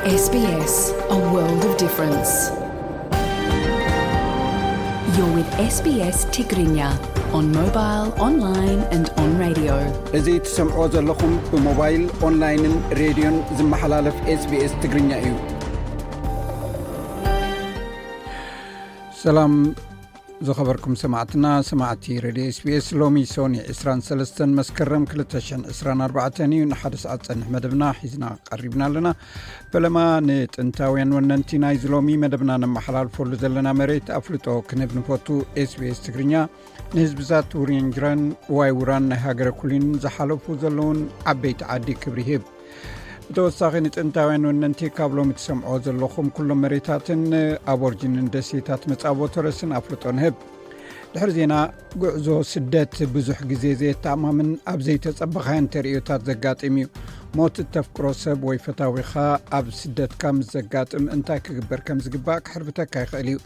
S B S, a world of difference. You're with S B S Tigrinya on mobile, online and on radio. እዚ ትሰምዖ ዘለኹም ብሞባይል፣ ኦንላይንን ሬድዮን ዝመሓላለፍ S B S ትግርኛ እዩ። ሰላም ዝኸበርኩም ሰማዕትና፣ ሰማዕቲ ሬድዮ S B S፣ ሎሚ ሶኒ ዕስራን ሰለስተን መስከረም ክልተ ሽሕን ዕስራን ኣርባዕተን እዩ። ንሓደ ሰዓት ጸንሕ መደብና ሒዝና ቀሪብና ኣለና። ፈለማ ንጥንታውያን ወነንቲ ናይዚ ሎሚ መደብና ነመሓላልፈሉ ዘለና መሬት ኣፍልጦ ክንህብ ንፈቱ። S B S ትግርኛ ንህዝብታት ውሪንጅራን ዋይ ውራን ናይ ሃገረ ኩሊን ዝሓለፉ ዘለውን ዓበይቲ ዓዲ ክብሪ ይህብ። ብተወሳኺ ንጥንታውያን ወነንቲ ካብ ሎሚ ትሰምዖ ዘለኹም ኩሎም መሬታትን ኣቦርጂንን ደሴታት መጻቦ ተረስን ኣፍልጦ ንህብ። ድሕሪ ዜና፣ ጉዕዞ ስደት ብዙሕ ግዜ ዘየተኣማምን ኣብ ዘይተጸበኻዮን ተርእዮታት ዘጋጥም እዩ። ሞት እተፍቅሮ ሰብ ወይ ፈታዊኻ ኣብ ስደትካ ምስ ዘጋጥም እንታይ ክግበር ከም ዝግባእ ክሕርብተካ ይኽእል እዩ።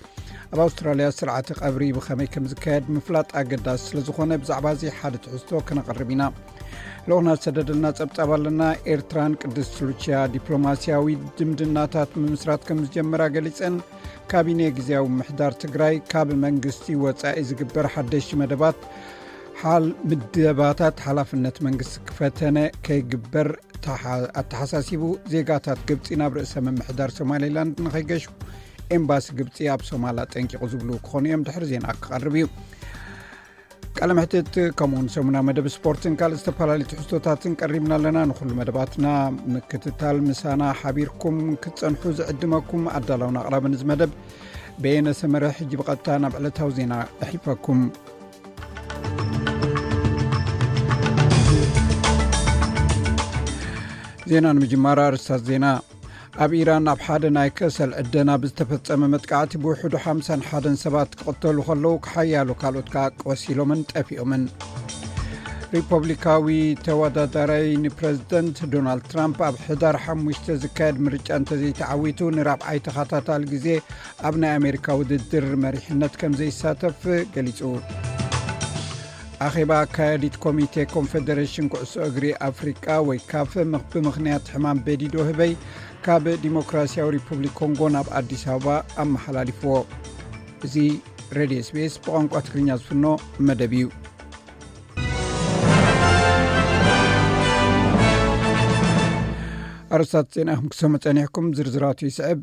ኣብ ኣውስትራልያ ስርዓተ ቀብሪ ብኸመይ ከም ዝካየድ ምፍላጥ ኣገዳሲ ስለ ዝኾነ ብዛዕባ እዚ ሓደ ትሕዝቶ ክነቕርብ ኢና። ልኡኽና ዝሰደደልና ጸብጻብ ኣለና። ኤርትራን ቅድስት ሉቺያ ዲፕሎማስያዊ ዝምድናታት ምምስራት ከም ዝጀመራ ገሊጸን። ካቢኔ ግዝያዊ ምሕዳር ትግራይ ካብ መንግስቲ ወጻኢ ዝግበር ሓደሽቲ መደባት ሓል-፣ ምደባታት ሓላፍነት መንግስቲ ክፈተነ ከይግበር ተሓ-፣ ኣተሓሳሲቡ። ዜጋታት ግብጺ ናብ ርእሰ ምምሕዳር ሶማሌላንድ ንኸይገሹ ኤምባሲ ግብጺ ኣብ ሶማል ኣጠንቂቑ ዝብሉ ክኾኑ እዮም። ድሕሪ ዜና ክቐርብ እዩ። ቃለ መሕትት ከምኡውን ሰሙና መደብ ስፖርትን ካልእ ዝተፈላለዩ ትሕዝቶታትን ቀሪብና ኣለና። ንኹሉ መደባትና ምክትታል ምሳና ሓቢርኩም ክትጸንሑ ዝዕድመኩም ኣዳላውን ኣቕራብን እዚ መደብ በየነ ሰመረ። ሕጂ ብቐጥታ ናብ ዕለታዊ ዜና ኣሕልፈኩም። ዜና ንምጅማር ኣርእስታት ዜና። ኣብ ኢራን ኣብ ሓደ ናይ ከሰል ዕደና ብዝተፈጸመ መጥቃዕቲ ብውሕዱ ሓምሳን ሓደን ሰባት ክቕተሉ ከለዉ፣ ሓያሎ ካልኦት ከኣ ቆሲሎምን ጠፊኦምን። ሪፐብሊካዊ ተወዳዳራይ ንፕረዚደንት ዶናልድ ትራምፕ ኣብ ሕዳር ሓሙሽተ ዝካየድ ምርጫ እንተዘይተዓዊቱ ንራብዓይ ተኸታታሊ ግዜ ኣብ ናይ ኣሜሪካ ውድድር መሪሕነት ከም ዘይሳተፍ ገሊጹ። ኣኼባ ኣካያዲት ኮሚቴ ኮንፌደሬሽን ኩዕሶ እግሪ ኣፍሪቃ ወይ ካፍ ምኽ-፣ ብምኽንያት ሕማም በዲዶ ህበይ ካብ ዲሞክራሲያዊ ሪፑብሊክ ኮንጎ ናብ ኣዲስ ኣበባ ኣመሓላሊፍዎ። እዚ ሬድዮ S B S ብቋንቋ ትግርኛ ዝፍኖ መደብ እዩ። ኣርእስታት ዜና ኢኹም ክትሰምዑ ጸኒሕኩም፣ ዝርዝራቱ ይስዕብ።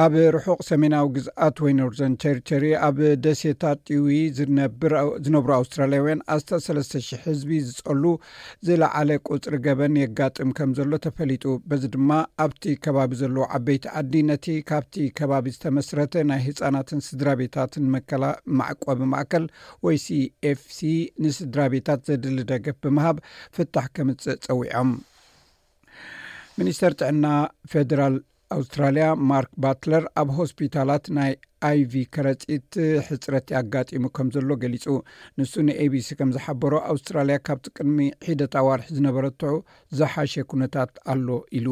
ኣብ ርሑቕ ሰሜናዊ ግዝኣት ወይ ኖርዘርን ቴሪቶሪ ኣብ ደሴታት ጢዊ ዝነብር-፣ ዝነብሩ ኣውስትራልያውያን ኣስታት ሰለስተ ሽሕ ህዝቢ ዝጸሉ ዝለዓለ ቁጽሪ ገበን የጋጥም ከም ዘሎ ተፈሊጡ። በዚ ድማ ኣብቲ ከባቢ ዘለዉ ዓበይቲ ዓዲ ነቲ ካብቲ ከባቢ ዝተመስረተ ናይ ህጻናትን ስድራ ቤታትን መከላ-፣ መዕቆቢ ማእከል ወይ C F C ንስድራ ቤታት ዘድሊ ደገፍ ብምሃብ ፍታሕ ከምጽእ ጸዊዖም። ሚኒስተር ጥዕና ፌደራል ኣውስትራልያ ማርክ ባትለር ኣብ ሆስፒታላት ናይ I V ከረጺት ሕጽረት ኣጋጢሙ ከም ዘሎ ገሊጹ። ንሱ ን A B C ከም ዝሓበሮ፣ ኣውስትራልያ ካብቲ ቅድሚ ሒደት ኣዋርሕ ዝነበረቶ ዝሓሸ ኩነታት ኣሎ ኢሉ።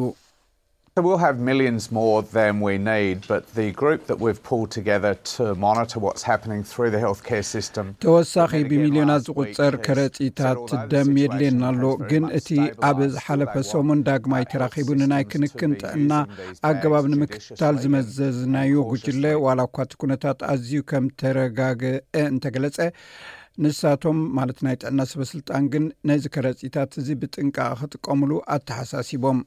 So we'll have millions more than we need, but the group that we've pulled together to monitor what's happening through the healthcare system. ተወሳኺ ብሚልዮናት ዝቑጸር ከረጺታት ደም የድልየና ኣሎ፣ ግን እቲ ኣብ ዝሓለፈ ሰሙን ዳግማይ ተራኺቡ ንናይ ክንክን ጥዕና ኣገባብ ንምክትታል ዝመዘዝናዮ ጉጅለ፣ ዋላ እኳ እቲ ኩነታት ኣዝዩ ከም ተረጋግአ እንተገለጸ፣ ንሳቶም ማለት ናይ ጥዕና ሰበስልጣን ግን ነዚ ከረጺታት እዚ ብጥንቃቐ ክጥቀሙሉ ኣተሓሳሲቦም።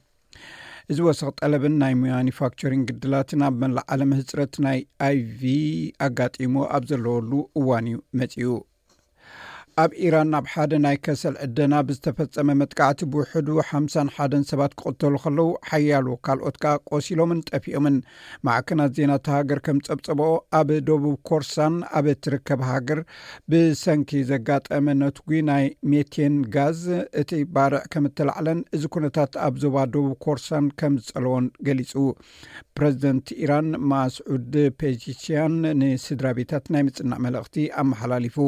እዚ ወሰኽ ጠለብን ናይ ማኒፋክቸሪንግ ግድላትን ኣብ መላእ ዓለም ህጽረት ናይ I V ኣጋጢሙ ኣብ ዘለወሉ እዋን እዩ መጺኡ። ኣብ ኢራን ኣብ ሓደ ናይ ከሰል ዕደና ብዝተፈጸመ መጥቃዕቲ ብውሕዱ ሓምሳን ሓደን ሰባት ክቕተሉ ከለዉ፣ ሓያሎ ካልኦት ከኣ ቆሲሎምን ጠፊኦምን። ማዕከናት ዜና እታ ሃገር ከም ጸብጸብኦ፣ ኣብ ደቡብ ኮርሳን ኣብ እትርከብ ሃገር ብሰንኪ ዘጋጠመ ነትጒ ናይ ሜቴን ጋዝ እቲ ባርዕ ከም እተላዕለን እዚ ኩነታት ኣብ ዞባ ደቡብ ኮርሳን ከም ዝጸለዎን ገሊጹ። ፕረዚደንት ኢራን ማስዑድ ፔዚሽያን ንስድራ ቤታት ናይ ምጽናዕ መልእኽቲ ኣመሓላሊፉ።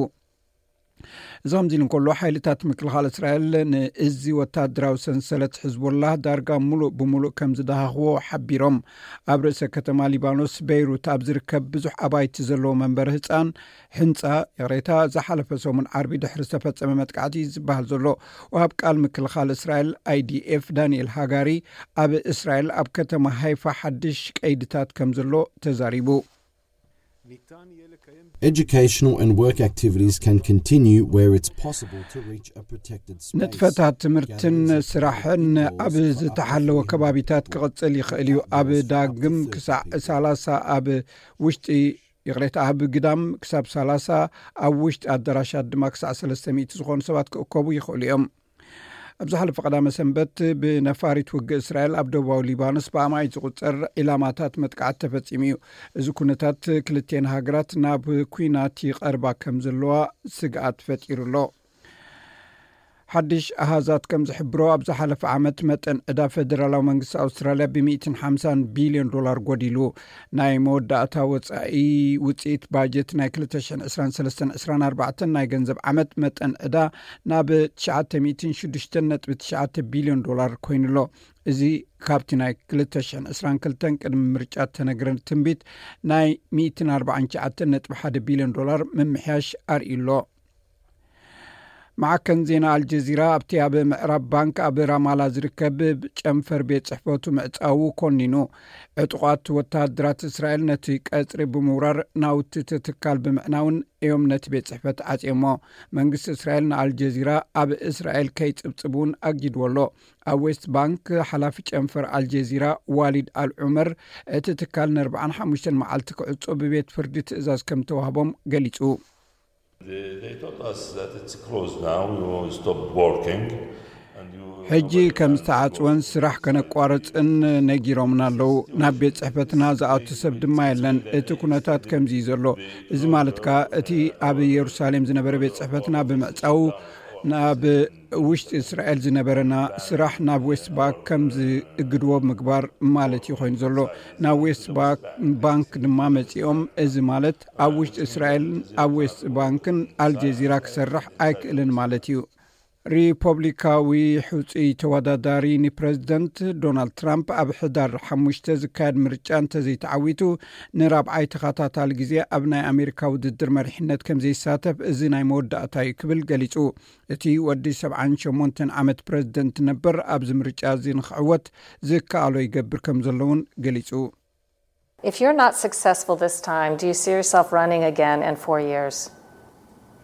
እዚ ከምዚ ኢሉ እንከሎ፣ ሓይልታት ምክልኻል እስራኤል ንእዚ ወታደራዊ ሰንሰለት ሕዝቦላህ ዳርጋ ሙሉእ ብሙሉእ ከም ዝደሃኽዎ ሓቢሮም። ኣብ ርእሰ ከተማ ሊባኖስ ቤይሩት ኣብ ዝርከብ ብዙሕ ኣባይቲ ዘለዎ መንበሪ ህፃን፣ ህንፃ፣ ይቕሬታ፣ ዝሓለፈ ሰሙን ዓርቢ ድሕሪ ዝተፈጸመ መጥቃዕቲ ዝበሃል ዘሎ፣ ወሃብ ቃል ምክልኻል እስራኤል፣ ኣይዲኤፍ፣ ዳንኤል ሃጋሪ፣ ኣብ እስራኤል ኣብ ከተማ ሃይፋ ሓድሽ ቀይድታት ከም ዘሎ ተዛሪቡ። Educational and work activities can continue where it's possible to reach a protected space. ንጥፈታት ትምህርትን ስራሕን ኣብ ዝተሓለወ ከባቢታት ክቕጽል ይኽእል እዩ። ኣብ ዳግም ክሳዕ ሰላሳ ኣብ ውሽጢ፣ ይቕሬታ፣ ኣብ ግዳም ክሳብ ሰላሳ፣ ኣብ ውሽጢ ኣዳራሻት ድማ ክሳዕ ሰለስተ ሚእቲ ዝኾኑ ሰባት ክእከቡ ይኽእሉ እዮም። ኣብ ዝሓለፈ ቀዳመ ሰንበት ብነፋሪት ውግእ እስራኤል ኣብ ደቡባዊ ሊባኖስ ብኣማኢት ዝቑጸር ዒላማታት መጥቃዕቲ ተፈጺሙ እዩ። እዚ ኩነታት ክልቲኤን ሃገራት ናብ ኲናት ይቐርባ ከም ዘለዋ ስግኣት ፈጢሩ ኣሎ። ሓድሽ ኣሃዛት ከም ዝሕብሮ፣ ኣብ ዝሓለፈ ዓመት መጠን ዕዳ ፈደራላዊ መንግስቲ ኣውስትራልያ ብ ሚእትን ሓምሳን ቢልዮን ዶላር ጎዲሉ። ናይ መወዳእታ ወጻኢ ውጽኢት ባጀት ናይ ክልተ ሽሕን ዕስራን ሰለስተን ዕስራን ኣርባዕተን ናይ ገንዘብ ዓመት መጠን ዕዳ ናብ ትሽዓተ ሚእትን ሽዱሽተን ነጥቢ ትሽዓተ ቢልዮን ዶላር ኮይኑ ኣሎ። እዚ ካብቲ ናይ ክልተ ሽሕን ዕስራን ክልተን ቅድሚ ምርጫ እተነግረ ትንቢት ናይ ሚእትን ኣርባዓን ትሽዓተን ነጥቢ ሓደ ቢልዮን ዶላር ምምሕያሽ ኣርእዩ ኣሎ። ማዕከን ዜና ኣልጀዚራ ኣብቲ ኣብ ምዕራብ ባንክ ኣብ ራማላ ዝርከብ ጨንፈር ቤት ጽሕፈቱ ምዕጻዉ ኮኒኑ። ዕጡቓት ወተሃደራት እስራኤል ነቲ ቀጽሪ ብምውራር ናውቲ እቲ ትካል ብምዕናውን እዮም ነቲ ቤት ጽሕፈት ዓጽዮሞ። መንግስቲ እስራኤል ንኣልጀዚራ ኣብ እስራኤል ከይጽብጽብ እውን ኣጊድዎ ኣሎ። ኣብ ዌስት ባንክ ሓላፊ ጨንፈር ኣልጀዚራ ዋሊድ ኣል ዑመር፣ እቲ ትካል ንኣርባዓን ሓሙሽተን መዓልቲ ክዕጾ ብቤት ፍርዲ ትእዛዝ ከም ተዋህቦም ገሊጹ። They, they told us that it's closed now, you stopped working. And you ሕጂ ከም ዝተዓጽወን ስራሕ ከነቋረጽን ነጊሮምና ኣለዉ። ናብ ቤት ጽሕፈትና ዝኣቱ ሰብ ድማ የለን። እቲ ኩነታት ከምዚ እዩ ዘሎ። እዚ ማለት ከኣ እቲ ኣብ ኢየሩሳሌም ዝነበረ ቤት ጽሕፈትና ብምዕጻዉ ናብ ውሽጢ እስራኤል ዝነበረና ስራሕ ናብ ዌስት ባንክ ከም ዝእግድዎ ምግባር ማለት እዩ ኮይኑ ዘሎ። ናብ ዌስት ባንክ ድማ መጺኦም፣ እዚ ማለት ኣብ ውሽጢ እስራኤልን ኣብ ዌስት ባንክን ኣልጀዚራ ክሰርሕ ኣይክእልን ማለት እዩ። ሪፖብሊካዊ ሕጹይ ተወዳዳሪ ንፕረዚደንት ዶናልድ ትራምፕ ኣብ ሕዳር ሓሙሽተ ዝካየድ ምርጫ እንተዘይተዓዊቱ ንራብዓይ ተኸታታሊ ግዜ ኣብ ናይ ኣሜሪካ ውድድር መሪሕነት ከም ዘይሳተፍ እዚ ናይ መወዳእታ እዩ ክብል ገሊጹ። እቲ ወዲ ሰብዓን ሸሞንተን ዓመት ፕረዚደንት ነበር ኣብዚ ምርጫ እዚ ንክዕወት ዝከኣሎ ይገብር ከም ዘለውን ገሊጹ። If you're not successful this time, do you see yourself running again in four years?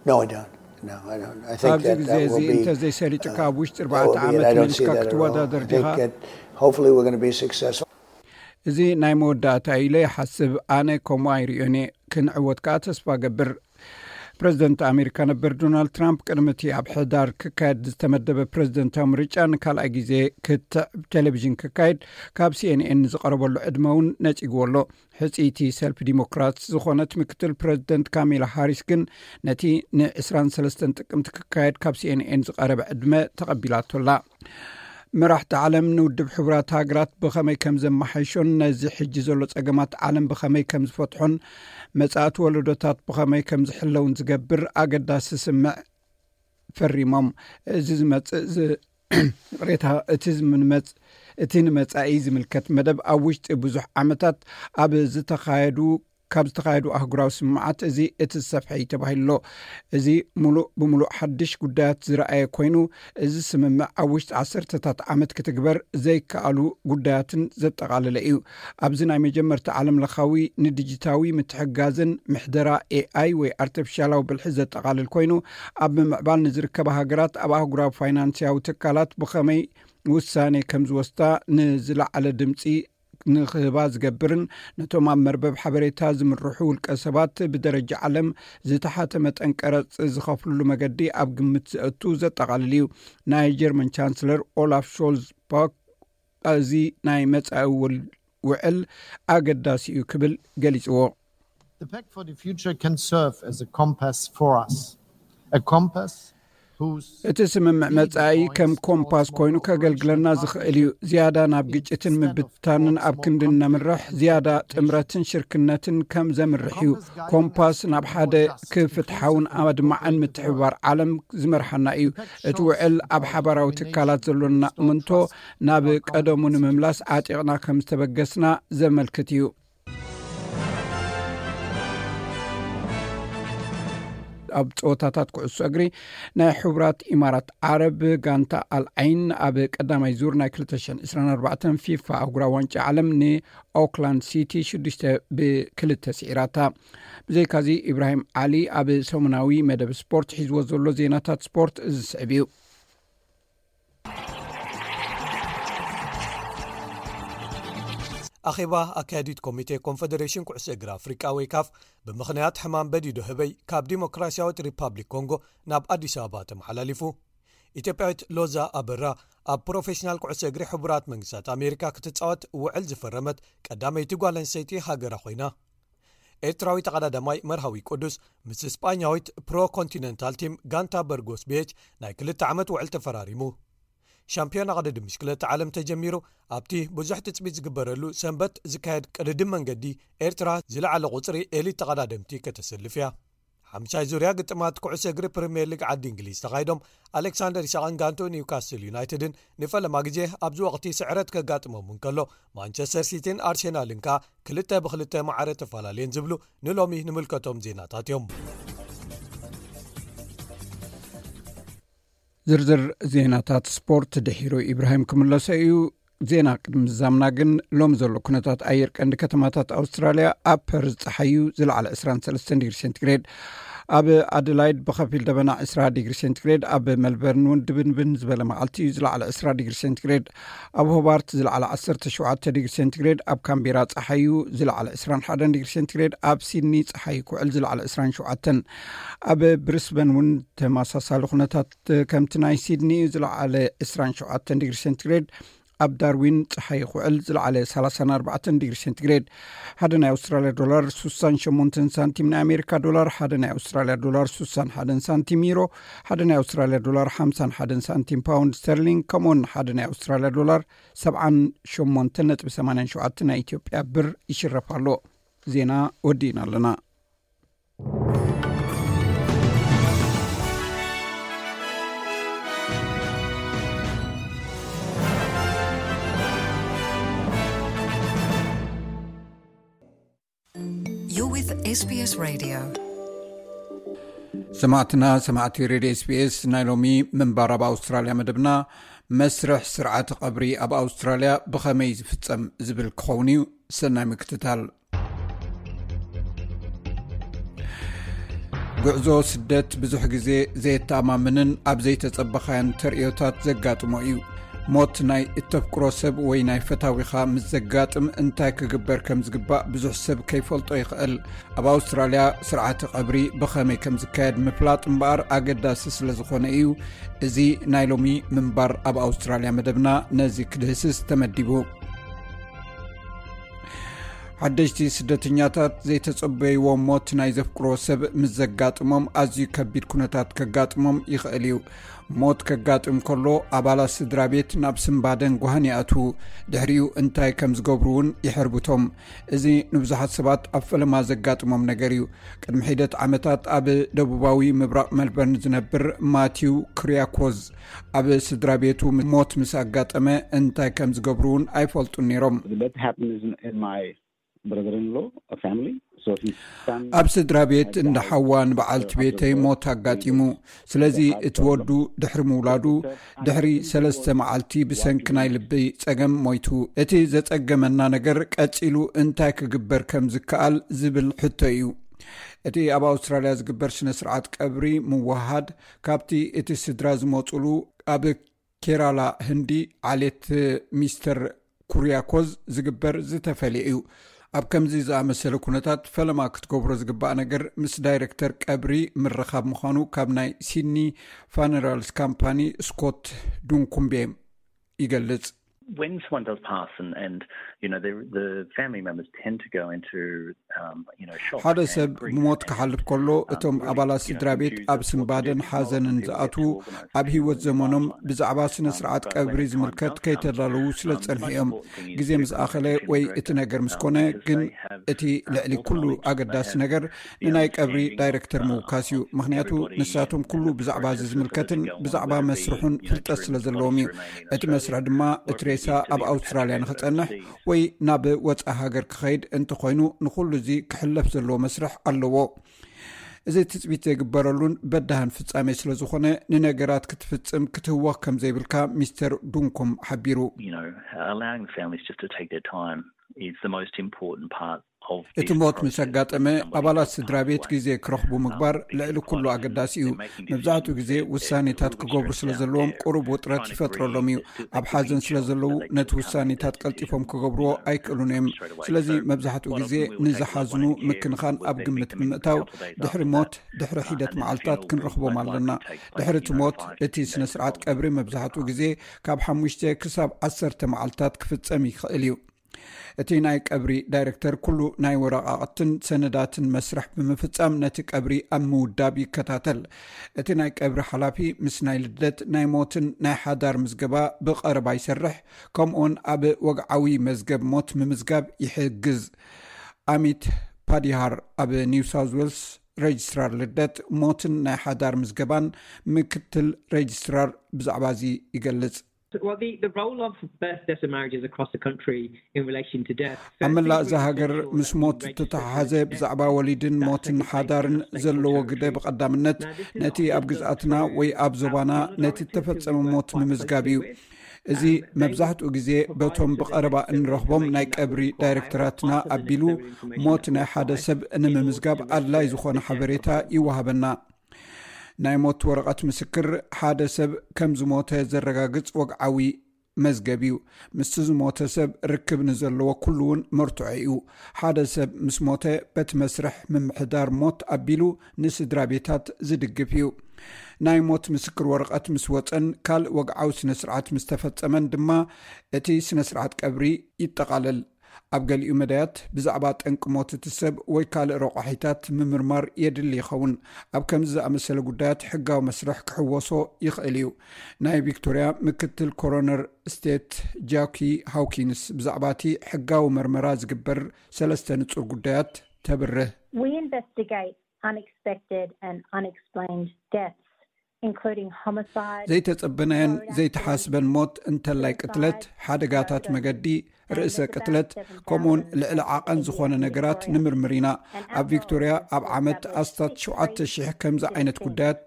No, I don't. No, I don't. I think ኣብዚ that ግዜ that እዚ will be. እንተዘይሰሊጥካ ኣብ ውሽጢ That ኣርባዕተ will be it. ዓመት I don't see መሊስካ that at all. ክትወዳደር I think ዲኻ? That hopefully we're going to be successful. እዚ ናይ መወዳእታ ኢለ ይሓስብ። ኣነ ከምኡ ኣይርእዮን እየ። ክንዕወት ከኣ ተስፋ ገብር። ፕረዚደንት ኣሜሪካ ነበር ዶናልድ ትራምፕ ቅድሚ እቲ ኣብ ሕዳር ክካየድ ዝተመደበ ፕረዚደንታዊ ምርጫ ንካልኣይ ግዜ ክትዕ ቴሌቪዥን ክካየድ ካብ ሲኤንኤን ዝቐረበሉ ዕድመ እውን ነጺግዎ ኣሎ። ሕጽይቲ ሰልፊ ዲሞክራት ዝኾነት ምክትል ፕረዚደንት ካሜላ ሃሪስ ግን ነቲ ን23 ጥቅምቲ ክካየድ ካብ ሲኤንኤን ዝቐረበ ዕድመ ተቐቢላቶ ኣላ። መራሕቲ ዓለም ንውድብ ሕቡራት ሃገራት ብኸመይ ከም ዘመሓይሾን ነዚ ሕጂ ዘሎ ጸገማት ዓለም ብኸመይ ከም ዝፈትሖን መጻእቲ ወለዶታት ብኸመይ ከም ዝሕለውን ዝገብር ኣገዳሲ ስምምዕ ፈሪሞም። እዚ ዝመጽእ ዚ- ቅሬታ እቲ ዝምንመጽ እቲ ንመጻኢ ዝምልከት መደብ ኣብ ውሽጢ ብዙሕ ዓመታት ኣብ ዝተኻየዱ ካብ ዝተኻየዱ ኣህጉራዊ ስምምዓት እዚ እቲ ዝሰፍሐ እዩ ተባሂሉ ኣሎ። እዚ ሙሉእ ብሙሉእ ሓድሽ ጉዳያት ዝረኣየ ኮይኑ፣ እዚ ስምምዕ ኣብ ውሽጢ ዓሰርተታት ዓመት ክትግበር ዘይከኣሉ ጉዳያትን ዘጠቓለለ እዩ። ኣብዚ ናይ መጀመርታ ዓለም ለኻዊ ንዲጂታዊ ምትሕጋዝን ምሕደራ ኤኣይ ወይ ኣርቲፊሻላዊ ብልሒ ዘጠቓልል ኮይኑ፣ ኣብ ምምዕባል ንዝርከባ ሃገራት ኣብ ኣህጉራዊ ፋይናንስያዊ ትካላት ብኸመይ ውሳኔ ከም ዝወስዳ ንዝለዓለ ድምፂ ንክህባ ዝገብርን ነቶም ኣብ መርበብ ሓበሬታ ዝምርሑ ውልቀ ሰባት ብደረጃ ዓለም ዝተሓተ መጠን ቀረፅ ዝኸፍልሉ መገዲ ኣብ ግምት ዘእቱ ዘጠቓልል እዩ። ናይ ጀርመን ቻንስለር ኦላፍ ሾልዝ ፓክ እዚ ናይ መጻኢ ውል- ውዕል ኣገዳሲ እዩ ክብል ገሊጽዎ። The Pact for the Future can serve as a compass for us. A compass እቲ ስምምዕ መጻኢ ከም ኮምፓስ ኮይኑ ከገልግለና ዝኽእል እዩ። ዝያዳ ናብ ግጭትን ምብትታንን ኣብ ክንዲ እነምርሕ፣ ዝያዳ ጥምረትን ሽርክነትን ከም ዘምርሕ እዩ። ኮምፓስ ናብ ሓደ ክፍትሓውን ኣድማዕን ምትሕብባር ዓለም ዝመርሓና እዩ። እቲ ውዕል ኣብ ሓባራዊ ትካላት ዘሎና እምንቶ ናብ ቀደሙ ንምምላስ ዓጢቕና ከም ዝተበገስና ዘመልክት እዩ። ኣብ ጸወታታት ኩዕሶ እግሪ፣ ናይ ሕቡራት ኢማራት ዓረብ ጋንታ ኣልዓይን ኣብ ቀዳማይ ዙር ናይ ክልተ ሽሕን ዕስራን ኣርባዕተን ፊፋ ኣህጉራዊ ዋንጫ ዓለም ንኦክላንድ ሲቲ ሽዱሽተ ብክልተ ስዒራታ። ብዘይካዚ፣ ኢብራሂም ዓሊ ኣብ ሰሙናዊ መደብ ስፖርት ሒዝዎ ዘሎ ዜናታት ስፖርት ዝስዕብ እዩ። ኣኼባ ኣካያዲት ኮሚቴ ኮንፈደሬሽን ኩዕሶ እግሪ ኣፍሪቃ ወይ ካፍ ብምኽንያት ሕማም በዲዶ ህበይ ካብ ዲሞክራሲያዊት ሪፓብሊክ ኮንጎ ናብ ኣዲስ ኣበባ ተመሓላሊፉ። ኢትዮጵያዊት ሎዛ ኣበራ ኣብ ፕሮፌሽናል ኩዕሶ እግሪ ሕቡራት መንግስታት ኣሜሪካ ክትጻወት ውዕል ዝፈረመት ቀዳመይቲ ጓል ኣንስተይቲ ሃገራ ኮይና። ኤርትራዊ ተቐዳዳማይ መርሃዊ ቅዱስ ምስ ስጳኛዊት ፕሮ ኮንቲነንታል ቲም ጋንታ በርጎስ ቤች ናይ ክልተ ዓመት ውዕል ተፈራሪሙ። ሻምፒዮና ቅድድም ብሽክለታ ዓለም ተጀሚሩ፣ ኣብቲ ብዙሕ ትጽቢት ዝግበረሉ ሰንበት ዝካየድ ቅድድም መንገዲ ኤርትራ ዝለዓለ ቁጽሪ ኤሊት ተቐዳደምቲ ከተሰልፍ እያ። ሓምሻይ ዙርያ ግጥማት ኩዕሶ እግሪ ፕሪምየር ሊግ ዓዲ እንግሊዝ ተኻይዶም፣ ኣሌክሳንደር ኢሳቕን ጋንቶ ኒውካስል ዩናይትድን ንፈለማ ግዜ ኣብዚ ወቕቲ ስዕረት ከጋጥሞም እንከሎ፣ ማንቸስተር ሲቲን ኣርሴናልን ከኣ ክልተ ብክልተ ማዕረ ተፈላለየን ዝብሉ ንሎሚ ንምልከቶም ዜናታት እዮም። ዝርዝር ዜናታት ስፖርት ድሒሩ ኢብራሂም ክምለሶ እዩ። ዜና ቅድሚ ምዛምና ግን፣ ሎሚ ዘሎ ኩነታት ኣየር ቀንዲ ከተማታት ኣውስትራልያ፣ ኣብ ፐርዝ ጸሓዩ ዝለዓለ ዕስራን ሰለስተን ዲግሪ ሴንቲግሬድ፣ ኣብ ኣደላይድ ብኸፊል ደበና ዕስራ ዲግሪ ሴንቲግሬድ፣ ኣብ መልበርን እውን ድብንብን ዝበለ መዓልቲ እዩ ዝለዓለ ዕስራ ዲግሪ ሴንቲግሬድ፣ ኣብ ሆባርት ዝለዓለ ዓሰርተ ሸውዓተ ዲግሪ ሴንቲግሬድ፣ ኣብ ካምቤራ ጸሓዩ ዝለዓለ ዕስራን ሓደን ዲግሪ ሴንቲግሬድ፣ ኣብ ሲድኒ ጸሓዩ ክውዕል ዝለዓለ ዕስራን ሸውዓተን፣ ኣብ ብሪስበን እውን ተመሳሳሊ ኩነታት ከምቲ ናይ ሲድኒ እዩ ዝለዓለ ዕስራን ሸውዓተን ዲግሪ ሴንቲግሬድ፣ ኣብ ዳርዊን ጸሓይ ክውዕል ዝለዓለ ሰላሳን ኣርባዕተን ዲግሪ ሴንቲግሬድ። ሓደ ናይ ኣውስትራልያ ዶላር ሱሳን ሸሞንተን ሳንቲም፣ ናይ ኣሜሪካ ዶላር ሓደ ናይ ኣውስትራልያ ዶላር ሱሳን ሓደን ሳንቲም፣ ዩሮ ሓደ ናይ ኣውስትራልያ ዶላር ሓምሳን ሓደን ሳንቲም፣ ፓውንድ ስተርሊንግ ከምኡውን ሓደ ናይ ኣውስትራልያ ዶላር ሰብዓን ሸሞንተን ነጥቢ ሰማንያን ሸውዓተን ናይ ኢትዮጵያ ብር ይሽረፍ ኣሎ። ዜና ወዲእና ኣለና። You're with S B S Radio. ሰማዕትና፣ ሰማዕቲ ሬድዮ S B S፣ ናይ ሎሚ ምንባር ኣብ ኣውስትራልያ መደብና፣ መስርሕ ስርዓተ ቀብሪ ኣብ ኣውስትራልያ ብኸመይ ዝፍጸም ዝብል ክኸውን እዩ። ሰናይ ምክትታል። ጉዕዞ ስደት ብዙሕ ግዜ ዘየተኣማምንን ኣብ ዘይተጸበኻዮን ተርእዮታት ዘጋጥሞ እዩ። ሞት ናይ እተፍቅሮ ሰብ ወይ ናይ ፈታዊኻ ምስ ዘጋጥም እንታይ ክግበር ከም ዝግባእ ብዙሕ ሰብ ከይፈልጦ ይኽእል። ኣብ ኣውስትራልያ ስርዓተ ቀብሪ ብኸመይ ከም ዝካየድ ምፍላጥ እምበኣር ኣገዳሲ ስለ ዝኾነ እዩ። እዚ ናይ ሎሚ ምንባር ኣብ ኣውስትራልያ መደብና ነዚ ክድህስስ ተመዲቡ። ሓደሽቲ ስደተኛታት ዘይተጸበይዎ ሞት ናይ ዘፍቅሮ ሰብ ምስ ዘጋጥሞም ኣዝዩ ከቢድ ኩነታት ከጋጥሞም ይኽእል እዩ። ሞት ከጋጥም ከሎ ኣባላት ስድራ ቤት ናብ ስንባደን ጓህን ይኣትዉ። ድሕሪኡ እንታይ ከም ዝገብሩ እውን ይሕርብቶም። እዚ ንብዙሓት ሰባት ኣብ ፈለማ ዘጋጥሞም ነገር እዩ። ቅድሚ ሒደት ዓመታት ኣብ ደቡባዊ ምብራቕ መልበርን ዝነብር ማቲው ክሪያኮዝ ኣብ ስድራ ቤቱ ሞት ምስ ኣጋጠመ እንታይ ከም ዝገብሩ እውን ኣይፈልጡን ነይሮም። That happened in my brother-in-law, a family. So his son ኣብ ስድራ ቤት እንዳ ሓዋ ንበዓልቲ ቤተይ ሞት ኣጋጢሙ። ስለዚ እቲ ወዱ ድሕሪ ምውላዱ ድሕሪ ሰለስተ መዓልቲ ብሰንኪ ናይ ልቢ ጸገም ሞይቱ። እቲ ዘጸገመና ነገር ቀጺሉ እንታይ ክግበር ከም ዝከኣል ዝብል ሕቶ እዩ። እቲ ኣብ ኣውስትራልያ ዝግበር ስነ ስርዓት ቀብሪ ምውሃድ ካብቲ እቲ ስድራ ዝመጹሉ ኣብ ኬራላ ህንዲ ዓሌት ሚስተር ኩሪያኮዝ ዝግበር ዝተፈልየ እዩ። ኣብ ከምዚ ዝኣመሰለ ኩነታት ፈለማ ክትገብሮ ዝግባእ ነገር ምስ ዳይሬክተር ቀብሪ ምርኻብ ምዃኑ ካብ ናይ ሲድኒ ፋነራልስ ካምፓኒ ስኮት ዱንኩምቤ ይገልጽ። When someone does pass and, and you know, the, the family members tend to go into, um, you know, shock. ሓደ ሰብ ብሞት ክሓልፍ ከሎ እቶም ኣባላት ስድራ ቤት ኣብ ስንባደን ሓዘንን ዝኣትዉ ኣብ ህይወት ዘመኖም ብዛዕባ ስነ ስርዓት ቀብሪ ዝምልከት ከይተዳለዉ ስለ ዝጸንሑ እዮም። ግዜ ምስ ኣኸለ ወይ እቲ ነገር ምስ ኮነ ግን እቲ ልዕሊ ኩሉ ኣገዳሲ ነገር ንናይ ቀብሪ ዳይረክተር ምውካስ እዩ። ምኽንያቱ ንሳቶም ኩሉ ብዛዕባ እዚ ዝምልከትን ብዛዕባ መስርሑን ፍልጠት ስለ ዘለዎም እዩ። እቲ መስርሕ ድማ እቲ ሬሳ ኣብ ኣውስትራልያ ንኽጸንሕ ወይ ናብ ወጻኢ ሃገር ክኸይድ እንተኾይኑ ንኹሉ እዚ ክሕለፍ ዘለዎ መስርሕ ኣለዎ። እዚ ትጽቢት ዘይግበረሉን በዳህን ፍጻሜ ስለ ዝኾነ ንነገራት ክትፍጽም ክትህወኽ ከም ዘይብልካ ሚስተር ዱንኩም ሓቢሩ። You know, allowing the families just to take their time is the most important part. እቲ ሞት ምስ ኣጋጠመ ኣባላት ስድራ ቤት ግዜ ክረኽቡ ምግባር ልዕሊ ኩሉ ኣገዳሲ እዩ። መብዛሕትኡ ግዜ ውሳኔታት ክገብሩ ስለ ዘለዎም ቁሩብ ውጥረት ይፈጥረሎም እዩ። ኣብ ሓዘን ስለ ዘለዉ ነቲ ውሳኔታት ቀልጢፎም ክገብርዎ ኣይክእሉን እዮም። ስለዚ መብዛሕትኡ ግዜ ንዝሓዝኑ ምክንኻን ኣብ ግምት ብምእታው ድሕሪ ሞት ድሕሪ ሒደት መዓልታት ክንረኽቦም ኣለና። ድሕሪ እቲ ሞት እቲ ስነ ስርዓት ቀብሪ መብዛሕትኡ ግዜ ካብ ሓሙሽተ ክሳብ ዓሰርተ መዓልታት ክፍጸም ይኽእል እዩ። እቲ ናይ ቀብሪ ዳይረክተር ኩሉ ናይ ወረቓቕትን ሰነዳትን መስርሕ ብምፍጻም ነቲ ቀብሪ ኣብ ምውዳብ ይከታተል። እቲ ናይ ቀብሪ ሓላፊ ምስ ናይ ልደት ናይ ሞትን ናይ ሓዳር ምዝገባ ብቐረባ ይሰርሕ። ከምኡውን ኣብ ወግዓዊ መዝገብ ሞት ምምዝጋብ ይሕግዝ። ኣሚት ፓዲሃር ኣብ ኒው ሳውዝ ዌልስ ሬጅስትራር ልደት ሞትን ናይ ሓዳር ምዝገባን ምክትል ሬጅስትራር ብዛዕባ እዚ ይገልጽ። Well, the, the role of birth, deaths and marriages across the country in relation to death. ኣብ መላእ እዛ ሃገር ምስ ሞት ዝተተሓሓዘ ብዛዕባ ወሊድን ሞትን ሓዳርን ዘለዎ ግደ ብቐዳምነት ነቲ ኣብ ግዝኣትና ወይ ኣብ ዞባና ነቲ እተፈጸመ ሞት ምምዝጋብ እዩ። እዚ መብዛሕትኡ ግዜ በቶም ብቐረባ እንረኽቦም ናይ ቀብሪ ዳይረክተራትና ኣቢሉ ሞት ናይ ሓደ ሰብ ንምምዝጋብ ኣድላይ ዝኾነ ሓበሬታ ይወሃበና። ናይ ሞት ወረቐት ምስክር ሓደ ሰብ ከም ዝሞተ ዘረጋግጽ ወግዓዊ መዝገብ እዩ። ምስቲ ዝሞተ ሰብ ርክብ ንዘለዎ ኩሉ እውን መርትዖ እዩ። ሓደ ሰብ ምስ ሞተ በቲ መስርሕ ምምሕዳር ሞት ኣቢሉ ንስድራ ቤታት ዝድግፍ እዩ። ናይ ሞት ምስክር ወረቐት ምስ ወጸን ካልእ ወግዓዊ ስነ ስርዓት ምስ ተፈጸመን ድማ እቲ ስነ ስርዓት ቀብሪ ይጠቓለል። ኣብ ገሊኡ መዳያት ብዛዕባ ጠንቂ ሞት እቲ ሰብ ወይ ካልእ ረቋሒታት ምምርማር የድሊ ይኸውን። ኣብ ከምዚ ዝኣመሰለ ጉዳያት ሕጋዊ መስርሕ ክሕወሶ ይኽእል እዩ። ናይ ቪክቶርያ ምክትል ኮሮነር ስቴት ጃኪ ሃውኪንስ ብዛዕባ እቲ ሕጋዊ መርመራ ዝግበር ሰለስተ ንጹር ጉዳያት ተብርህ። We investigate unexpected and unexplained deaths, including homicide. ዘይተጸበናዮን ዘይተሓስበን ሞት እንተላይ ቅትለት፣ ሓደጋታት መገዲ፣ ርእሰ ቅትለት፣ ከምኡውን ልዕሊ ዓቐን ዝኾነ ነገራት ንምርምር ኢና። ኣብ ቪክቶርያ ኣብ ዓመት ኣስታት ሸውዓተ ሽሕ ከምዚ ዓይነት ጉዳያት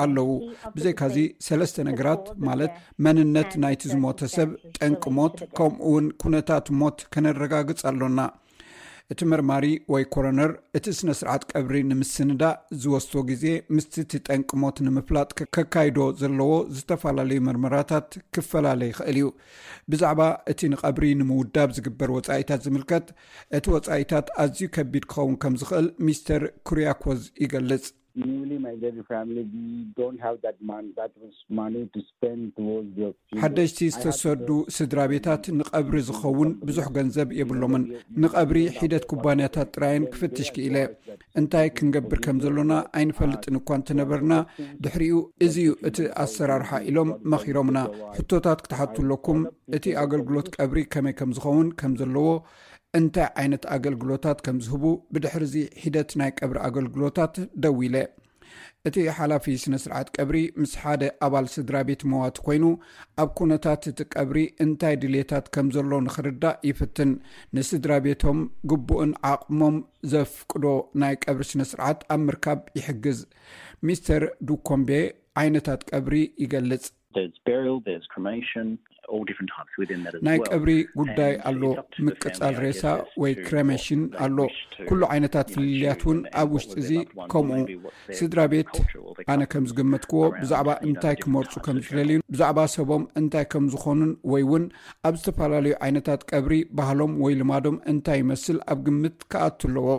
ኣለዉ። ብዘይካዚ ሰለስተ ነገራት ማለት መንነት ናይቲ ዝሞተ ሰብ፣ ጠንቂ ሞት፣ ከምኡውን ኩነታት ሞት ከነረጋግጽ ኣሎና። እቲ መርማሪ ወይ ኮሮነር እቲ ስነ ስርዓት ቀብሪ ንምስንዳእ ዝወስዶ ግዜ ምስቲ እቲ ጠንቂ ሞት ንምፍላጥ ከካይዶ ዘለዎ ዝተፈላለዩ መርመራታት ክፈላለ ይኽእል እዩ። ብዛዕባ እቲ ንቐብሪ ንምውዳብ ዝግበር ወጻኢታት ዝምልከት፣ እቲ ወጻኢታት ኣዝዩ ከቢድ ክኸውን ከም ዝኽእል ሚስተር ኩርያኮዝ ይገልጽ። Newly migrated family, we don't have that mon- that much money to spend towards your funeral. ሓደሽቲ ዝተሰዱ ስድራ ቤታት ንቐብሪ ዝኸውን ብዙሕ ገንዘብ የብሎምን። ንቐብሪ ሒደት ኩባንያታት ጥራየን ክፍትሽ ክኢለ። እንታይ ክንገብር ከም ዘሎና ኣይንፈልጥን እኳ እንተነበርና፣ ድሕሪኡ እዚ እዩ እቲ ኣሰራርሓ ኢሎም መኺሮምና። ሕቶታት ክትሓቱ ኣለኩም፣ እቲ ኣገልግሎት ቀብሪ ከመይ ከም ዝኸውን ከም ዘለዎ፣ እንታይ ዓይነት ኣገልግሎታት ከም ዝህቡ፣ ብድሕሪ እዚ ሒደት ናይ ቀብሪ ኣገልግሎታት ደዊለ። እቲ ሓላፊ ስነ ስርዓት ቀብሪ ምስ ሓደ ኣባል ስድራ ቤት መዋቲ ኮይኑ ኣብ ኩነታት እቲ ቀብሪ እንታይ ድልየታት ከም ዘሎ ንኽርዳእ ይፍትን። ንስድራ ቤቶም ግቡእን ዓቕሞም ዘፍቅዶ ናይ ቀብሪ ስነ ስርዓት ኣብ ምርካብ ይሕግዝ። ሚስተር ዱኮምቤ ዓይነታት ቀብሪ ይገልጽ። There's burial, there's cremation, all different types within that as ናይ well. ቀብሪ ጉዳይ ኣሎ። ምቅጻል ሬሳ ወይ ክሬሜሽን ኣሎ። ኩሉ ዓይነታት ፍልልያት እውን ኣብ ውሽጢ እዚ ከምኡ። ስድራ ቤት ኣነ ከም ዝገመትክዎ ብዛዕባ እንታይ ክመርጹ ከም ዝደልዩን ብዛዕባ ሰቦም እንታይ ከም ዝኾኑን ወይ እውን ኣብ ዝተፈላለዩ ዓይነታት ቀብሪ ባህሎም ወይ ልማዶም እንታይ ይመስል ኣብ ግምት ክኣቱ ኣለዎ።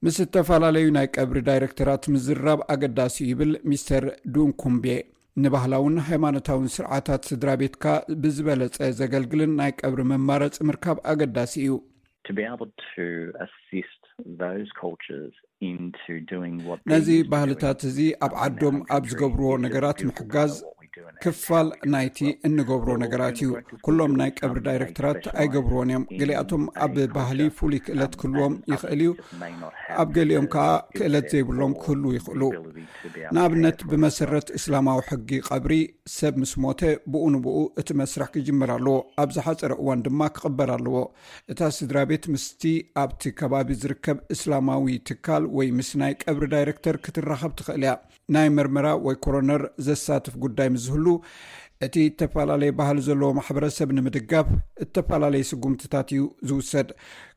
ምስ ዝተፈላለዩ ናይ ቀብሪ ዳይረክተራት ምዝራብ ኣገዳሲ እዩ ይብል ሚስተር ዱንኩምቤ። ንባህላውን ሃይማኖታውን ስርዓታት ስድራ ቤትካ ብዝበለጸ ዘገልግልን ናይ ቀብሪ መማረጺ ምርካብ ኣገዳሲ እዩ። To be able to assist those cultures into doing what ነዚ ባህልታት እዚ ኣብ ዓዶም ኣብ ዝገብርዎ ነገራት ምሕጋዝ ክፋል ናይቲ እንገብሮ ነገራት እዩ። ኩሎም ናይ ቀብሪ ዳይሬክተራት ኣይገብርዎን እዮም። ገሊኣቶም ኣብ ባህሊ ፍሉይ ክእለት ክህልዎም ይኽእል እዩ። ኣብ ገሊኦም ከዓ ክእለት ዘይብሎም ክህሉ ይኽእሉ። ንኣብነት ብመሰረት እስላማዊ ሕጊ ቀብሪ ሰብ ምስ ሞተ ብኡ ንብኡ እቲ መስርሕ ክጅመር ኣለዎ። ኣብ ዝሓፀረ እዋን ድማ ክቕበር ኣለዎ። እታ ስድራ ቤት ምስቲ ኣብቲ ከባቢ ዝርከብ እስላማዊ ትካል ወይ ምስ ናይ ቀብሪ ዳይሬክተር ክትራኸብ ትኽእል እያ። ናይ መርመራ ወይ ኮሮነር ዘሳትፍ ጉዳይ ምስ ዝህሉ እቲ እተፈላለየ ባህሊ ዘለዎ ማሕበረሰብ ንምድጋፍ እተፈላለየ ስጉምትታት እዩ ዝውሰድ።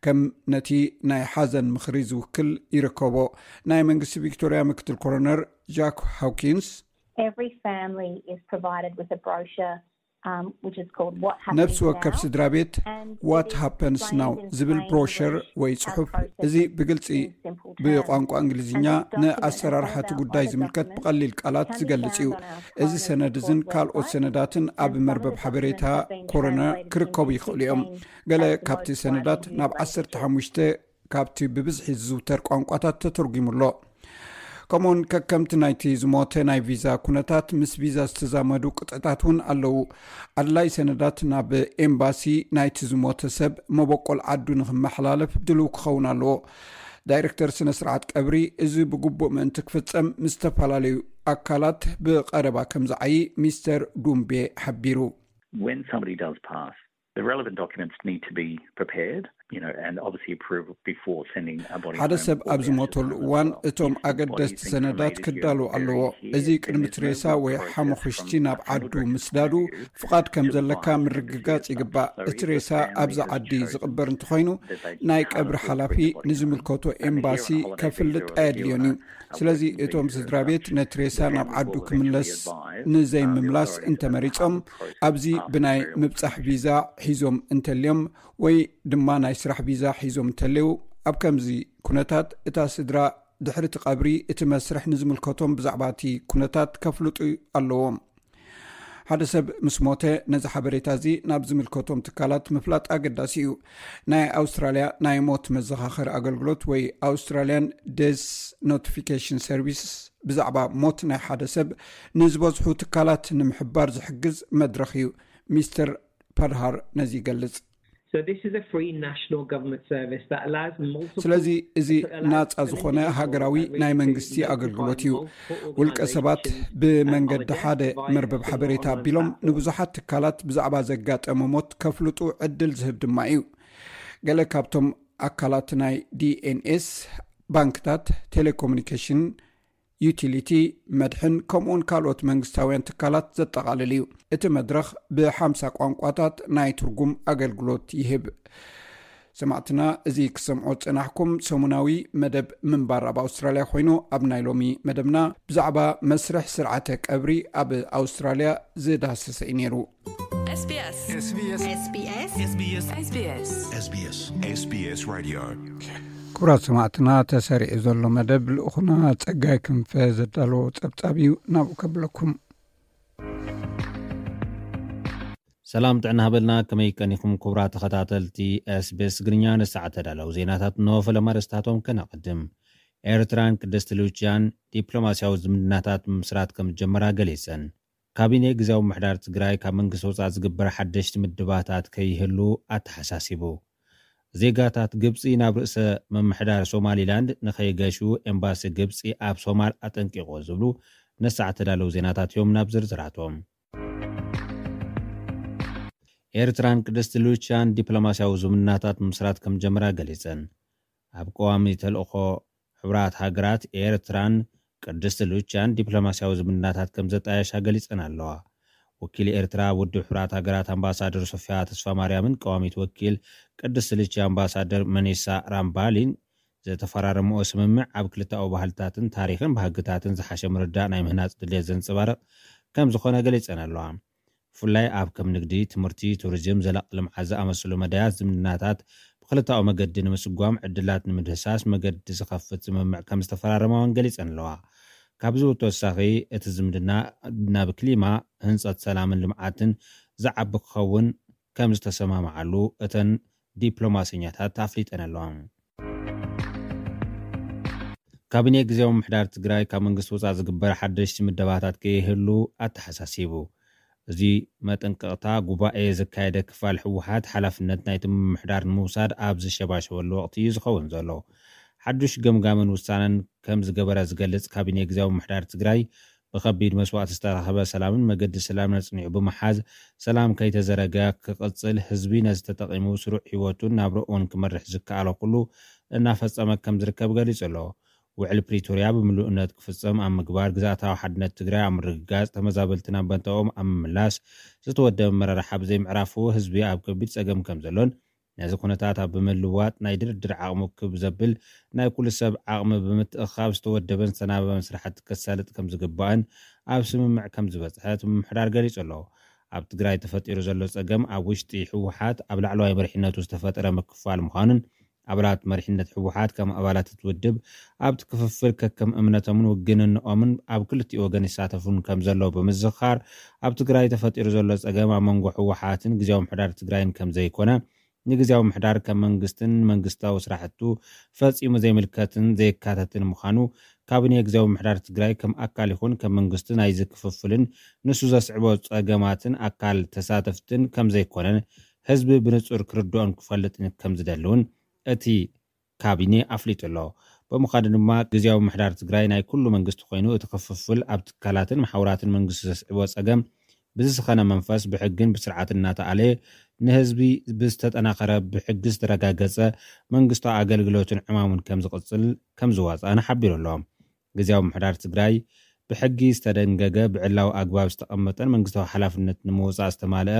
ከም ነቲ ናይ ሓዘን ምኽሪ ዝውክል ይርከቦ። ናይ መንግስቲ ቪክቶሪያ ምክትል ኮሮነር ጃክ ሃውኪንስ Every family is provided with a brochure um, which is called What ነፍሲ Happens ወከፍ Now. ስድራ ቤት And ዋት it is ሃፐንስ explained ናው in ዝብል plain ብሮሸር English ወይ how ጽሑፍ processes እዚ ብግልጺ in simple terms. ብቋንቋ እንግሊዝኛ And this document, as ንኣሰራርሓ well እቲ as ጉዳይ other ዝምልከት documents, ብቐሊል ቃላት can be ዝገልጽ እዩ። found on our እዚ coroner's ሰነድ እዝን report ካልኦት website. ሰነዳትን ኣብ And some of መርበብ the ሓበሬታ documents have been ኮሮነር translated ክርከቡ into ይኽእሉ እዮም። fifteen ገለ of the ካብቲ most ሰነዳት widely ናብ used languages. ዓሰርተ ሓሙሽተ ካብቲ ብብዝሒ ዝዝውተር ቋንቋታት ተተርጒሙ ኣሎ። ከምኡውን ከከምቲ ናይቲ ዝሞተ ናይ ቪዛ ኩነታት ምስ ቪዛ ዝተዛመዱ ቅጥዕታት እውን ኣለዉ። ኣድላይ ሰነዳት ናብ ኤምባሲ ናይቲ ዝሞተ ሰብ መበቆል ዓዱ ንክመሓላለፍ ድልው ክኸውን ኣለዎ። ዳይሬክተር ስነ ስርዓት ቀብሪ እዚ ብግቡእ ምእንቲ ክፍጸም ምስ ዝተፈላለዩ ኣካላት ብቐረባ ከም ዝዓዪ ሚስተር ዱምቤ ሓቢሩ። When somebody does pass, the relevant documents need to be prepared, you know, and obviously approved before sending a body ሓደ home ሰብ or ኣብ the ዝሞተሉ ashes to እዋን hospital. እቶም If the body ኣገደስቲ is ሰነዳት cremated ክዳለዉ during ኣለዎ። surgery እዚ here, ቅድሚ then እቲ there's ሬሳ no ወይ process ሓመኹሽቲ from ናብ a funeral ዓዱ director's ምስዳዱ point of view ፍቓድ ከም to ዘለካ provide ምርግጋጽ the ይግባእ። certificate. So እቲ if the ሬሳ family ኣብዚ has ዓዲ chosen ዝቕበር እንተኾይኑ that they ናይ have ቀብሪ to put ሓላፊ the body ንዝምልከቶ home, and ኤምባሲ here a holiday ከፍልጥ visa ኣየድልዮን እዩ። reviewer, a ስለዚ working እቶም visa ስድራ ቤት reduction, ነቲ ሬሳ then ናብ we ዓዱ will ክምለስ eventually advise, ንዘይ um, the ምምላስ authorities እንተመሪጾም about the ኣብዚ path ብናይ burial. ምብጻሕ ቪዛ ሒዞም እንተልዮም ወይ ድማ ናይ ስራሕ ቪዛ ሒዞም እንተልዩ ኣብ ከምዚ ኩነታት እታ ስድራ ድሕሪ እቲ ቀብሪ እቲ መስርሕ ንዝምልከቶም ብዛዕባ እቲ ኩነታት ከፍልጡ ኣለዎም። ሓደ ሰብ ምስ ሞተ ነዚ ሓበሬታ እዚ ናብ ዝምልከቶም ትካላት ምፍላጥ ኣገዳሲ እዩ። ናይ ኣውስትራልያ ናይ ሞት መዘኻኸሪ ኣገልግሎት ወይ ኣውስትራልያን ዴስ ኖቲፊኬሽን ሰርቪስ ብዛዕባ ሞት ናይ ሓደ ሰብ ንዝበዝሑ ትካላት ንምሕባር ዝሕግዝ መድረኽ እዩ። ሚስተር ፓድሃር ነዚ ይገልጽ። So this is a free national government service that allows multiple ስለዚ እዚ ናጻ ዝኾነ ሃገራዊ ናይ መንግስቲ ኣገልግሎት እዩ። ውልቀ ሰባት ብመንገዲ ሓደ መርበብ ሓበሬታ ኣቢሎም ንብዙሓት ትካላት ብዛዕባ ዘጋጠመ ሞት ከፍልጡ ዕድል ዝህብ ድማ እዩ። ገለ ካብቶም ኣካላት ናይ ዲኤንኤስ ባንክታት፣ ቴሌኮሙኒኬሽን፣ ዩቲሊቲ፣ መድሕን ከምኡውን ካልኦት መንግስታውያን ትካላት ዘጠቓልል እዩ። እቲ መድረኽ ብሓምሳ ቋንቋታት ናይ ትርጉም ኣገልግሎት ይህብ። ሰማዕትና፣ እዚ ክሰምዖ ዝጸናሕኩም ሰሙናዊ መደብ ምንባር ኣብ ኣውስትራልያ ኮይኑ፣ ኣብ ናይ ሎሚ መደብና ብዛዕባ መስርሕ ስርዓተ ቀብሪ ኣብ ኣውስትራልያ ዝዳሰሰ እዩ ነይሩ። SBS SBS SBS SBS SBS Radio. ክቡራት ሰማዕትና፣ ተሰሪዑ ዘሎ መደብ ልኡኹና ጸጋይ ክንፈ ዘዳለዎ ጸብጻብ እዩ። ናብኡ ከብለኩም። ሰላም ጥዕና ሃበልና። ከመይ ቀኒኹም ክቡራት ተኸታተልቲ SBS ትግርኛ? ንሰዓት ተዳለዉ ዜናታት እንሆ። ፈለማ ርእስታቶም ከነቐድም። ኤርትራን ቅድስቲ ሉቺያን ዲፕሎማስያዊ ዝምድናታት ምምስራት ከም ዝጀመራ ገሊጸን። ካቢኔ ግዝያዊ ምምሕዳር ትግራይ ካብ መንግስቲ ወጻኢ ዝግበር ሓደሽቲ ምድባታት ከይህሉ ኣተሓሳሲቡ። ዜጋታት ግብጺ ናብ ርእሰ ምምሕዳር ሶማሊላንድ ንኸይገሹ ኤምባሲ ግብጺ ኣብ ሶማል ኣጠንቂቑ ዝብሉ ነሳዕ ተዳለዉ ዜናታት እዮም። ናብ ዝርዝራቶም። ኤርትራን ቅድስቲ ሉቺያን ዲፕሎማስያዊ ዝምድናታት ምስራት ከም ጀመራ ገሊጸን። ኣብ ቀዋሚ ተልእኾ ሕቡራት ሃገራት ኤርትራን ቅድስቲ ሉቺያን ዲፕሎማስያዊ ዝምድናታት ከም ዘጣየሻ ገሊጸን ኣለዋ። ወኪል ኤርትራ ኣብ ውድብ ሕቡራት ሃገራት ኣምባሳደር ሶፊያ ተስፋ ማርያምን ቀዋሚት ወኪል ቅድስቲ ሉቺያ ኣምባሳደር መኒሳ ራምባሊን ዝተፈራረምኦ ስምምዕ ኣብ ክልተኣዊ ባህልታትን ታሪኽን ባህግታትን ዝሓሸ ምርዳእ ናይ ምህናጽ ድሌት ዘንጸባርቕ ከም ዝኾነ ገሊጸን ኣለዋ። ብፍላይ ኣብ ከም ንግዲ፣ ትምህርቲ፣ ቱሪዝም፣ ዘላቒ ልምዓት ዝኣመሰሉ መዳያት ዝምድናታት ብክልተኣዊ መገዲ ንምስጓም ዕድላት ንምድህሳስ መገዲ ዝኸፍት ስምምዕ ከም ዝተፈራረማ እውን ገሊጸን ኣለዋ። ካብዚ ብተወሳኺ፣ እቲ ዝምድና ናብ ክሊማ ህንፀት ሰላምን ልምዓትን ዝዓቢ ክኸውን ከም ዝተሰማምዓሉ እተን ዲፕሎማሰኛታት ኣፍሊጠን ኣለዋ። ካቢኔ ግዜያዊ ምምሕዳር ትግራይ ካብ መንግስቲ ወፃኢ ዝግበር ሓደሽቲ ምደባታት ከይህሉ ኣተሓሳሲቡ። እዚ መጠንቀቕታ ጉባኤ ዘካየደ ክፋል ህወሓት ሓላፍነት ናይቲ ምምሕዳር ንምውሳድ ኣብ ዝሸባሸበሉ ወቕቲ እዩ ዝኸውን ዘሎ። ሓዱሽ ገምጋምን ውሳነን ከም ዝገበረ ዝገልጽ ካቢኔ ግዜያዊ ምምሕዳር ትግራይ፣ ብኸቢድ መስዋእቲ ዝተረኸበ ሰላምን መገዲ ሰላምን ኣጽኒዑ ብምሓዝ፣ ሰላም ከይተዘረገ ክቕጽል፣ ህዝቢ ነዚ ተጠቒሙ ስሩዕ ህይወቱን ናብርኡን ክመርሕ ዝከኣሎ ኩሉ እናፈጸመ ከም ዝርከብ ገሊጹ ኣሎ። ውዕል ፕሪቶርያ ብምሉእነት ክፍጸም ኣብ ምግባር፣ ግዝኣታዊ ሓድነት ትግራይ ኣብ ምርግጋጽ፣ ተመዛበልቲ ናብ ቦታኦም ኣብ ምምላስ፣ ዝተወደበ ኣመራርሓ ብዘይምዕራፉ ህዝቢ ኣብ ከቢድ ጸገም ከም ዘሎን፣ ነዚ ኩነታት ኣብ ብምልዋጥ ናይ ድርድር ዓቕሙ ክብ ዘብል ናይ ኩሉ ሰብ ዓቕሚ ብምትእኻብ ዝተወደበን ዝተናበበን ስራሕቲ ከሳልጥ ከም ዝግባእን ኣብ ስምምዕ ከም ዝበጽሐ እቲ ምምሕዳር ገሊጹ ኣሎ። ኣብ ትግራይ ተፈጢሩ ዘሎ ጸገም ኣብ ውሽጢ ህወሓት ኣብ ላዕለዋይ መሪሕነቱ ዝተፈጠረ ምክፋል ምዃኑን ኣባላት መሪሕነት ህወሓት ከም ኣባላት እቲ ውድብ ኣብቲ ክፍፍል ከከም እምነቶምን ውግንንኦምን ኣብ ክልቲኡ ወገን ይሳተፉን ከም ዘለዉ ብምዝኻር፣ ኣብ ትግራይ ተፈጢሩ ዘሎ ጸገም ኣብ መንጎ ህወሓትን ግዜያዊ ምምሕዳር ትግራይን ከም ዘይኮነ፣ ንግዜያዊ ምምሕዳር ከም መንግስትን መንግስታዊ ስራሕቱ ፈጺሙ ዘይምልከትን ዘየካተትን ምዃኑ፣ ካቢኔ ግዜያዊ ምምሕዳር ትግራይ ከም ኣካል ይኹን ከም መንግስቲ ናይዚ ክፍፍልን ንሱ ዘስዕቦ ጸገማትን ኣካል ተሳተፍትን ከም ዘይኮነን ህዝቢ ብንጹር ክርድኦን ክፈልጥን ከም ዝደሊ እውን እቲ ካቢኔ ኣፍሊጡ ኣሎ። ብምዃኑ ድማ ግዜያዊ ምምሕዳር ትግራይ ናይ ኩሉ መንግስቲ ኮይኑ፣ እቲ ክፍፍል ኣብ ትካላትን መሓውራትን መንግስቲ ዘስዕቦ ጸገም ብዝሰኸነ መንፈስ ብሕግን ብስርዓትን እናተኣለየ፣ ንህዝቢ ብዝተጠናኸረ ብሕጊ ዝተረጋገጸ መንግስታዊ ኣገልግሎትን ዕማሙን ከም ዝቕጽል ከም ዝዋጽኣን ሓቢሩ ኣሎ። ግዜያዊ ምምሕዳር ትግራይ ብሕጊ ዝተደንገገ ብዕላዊ ኣግባብ ዝተቐመጠን መንግስታዊ ሓላፍነት ንምውጻእ ዝተማልአ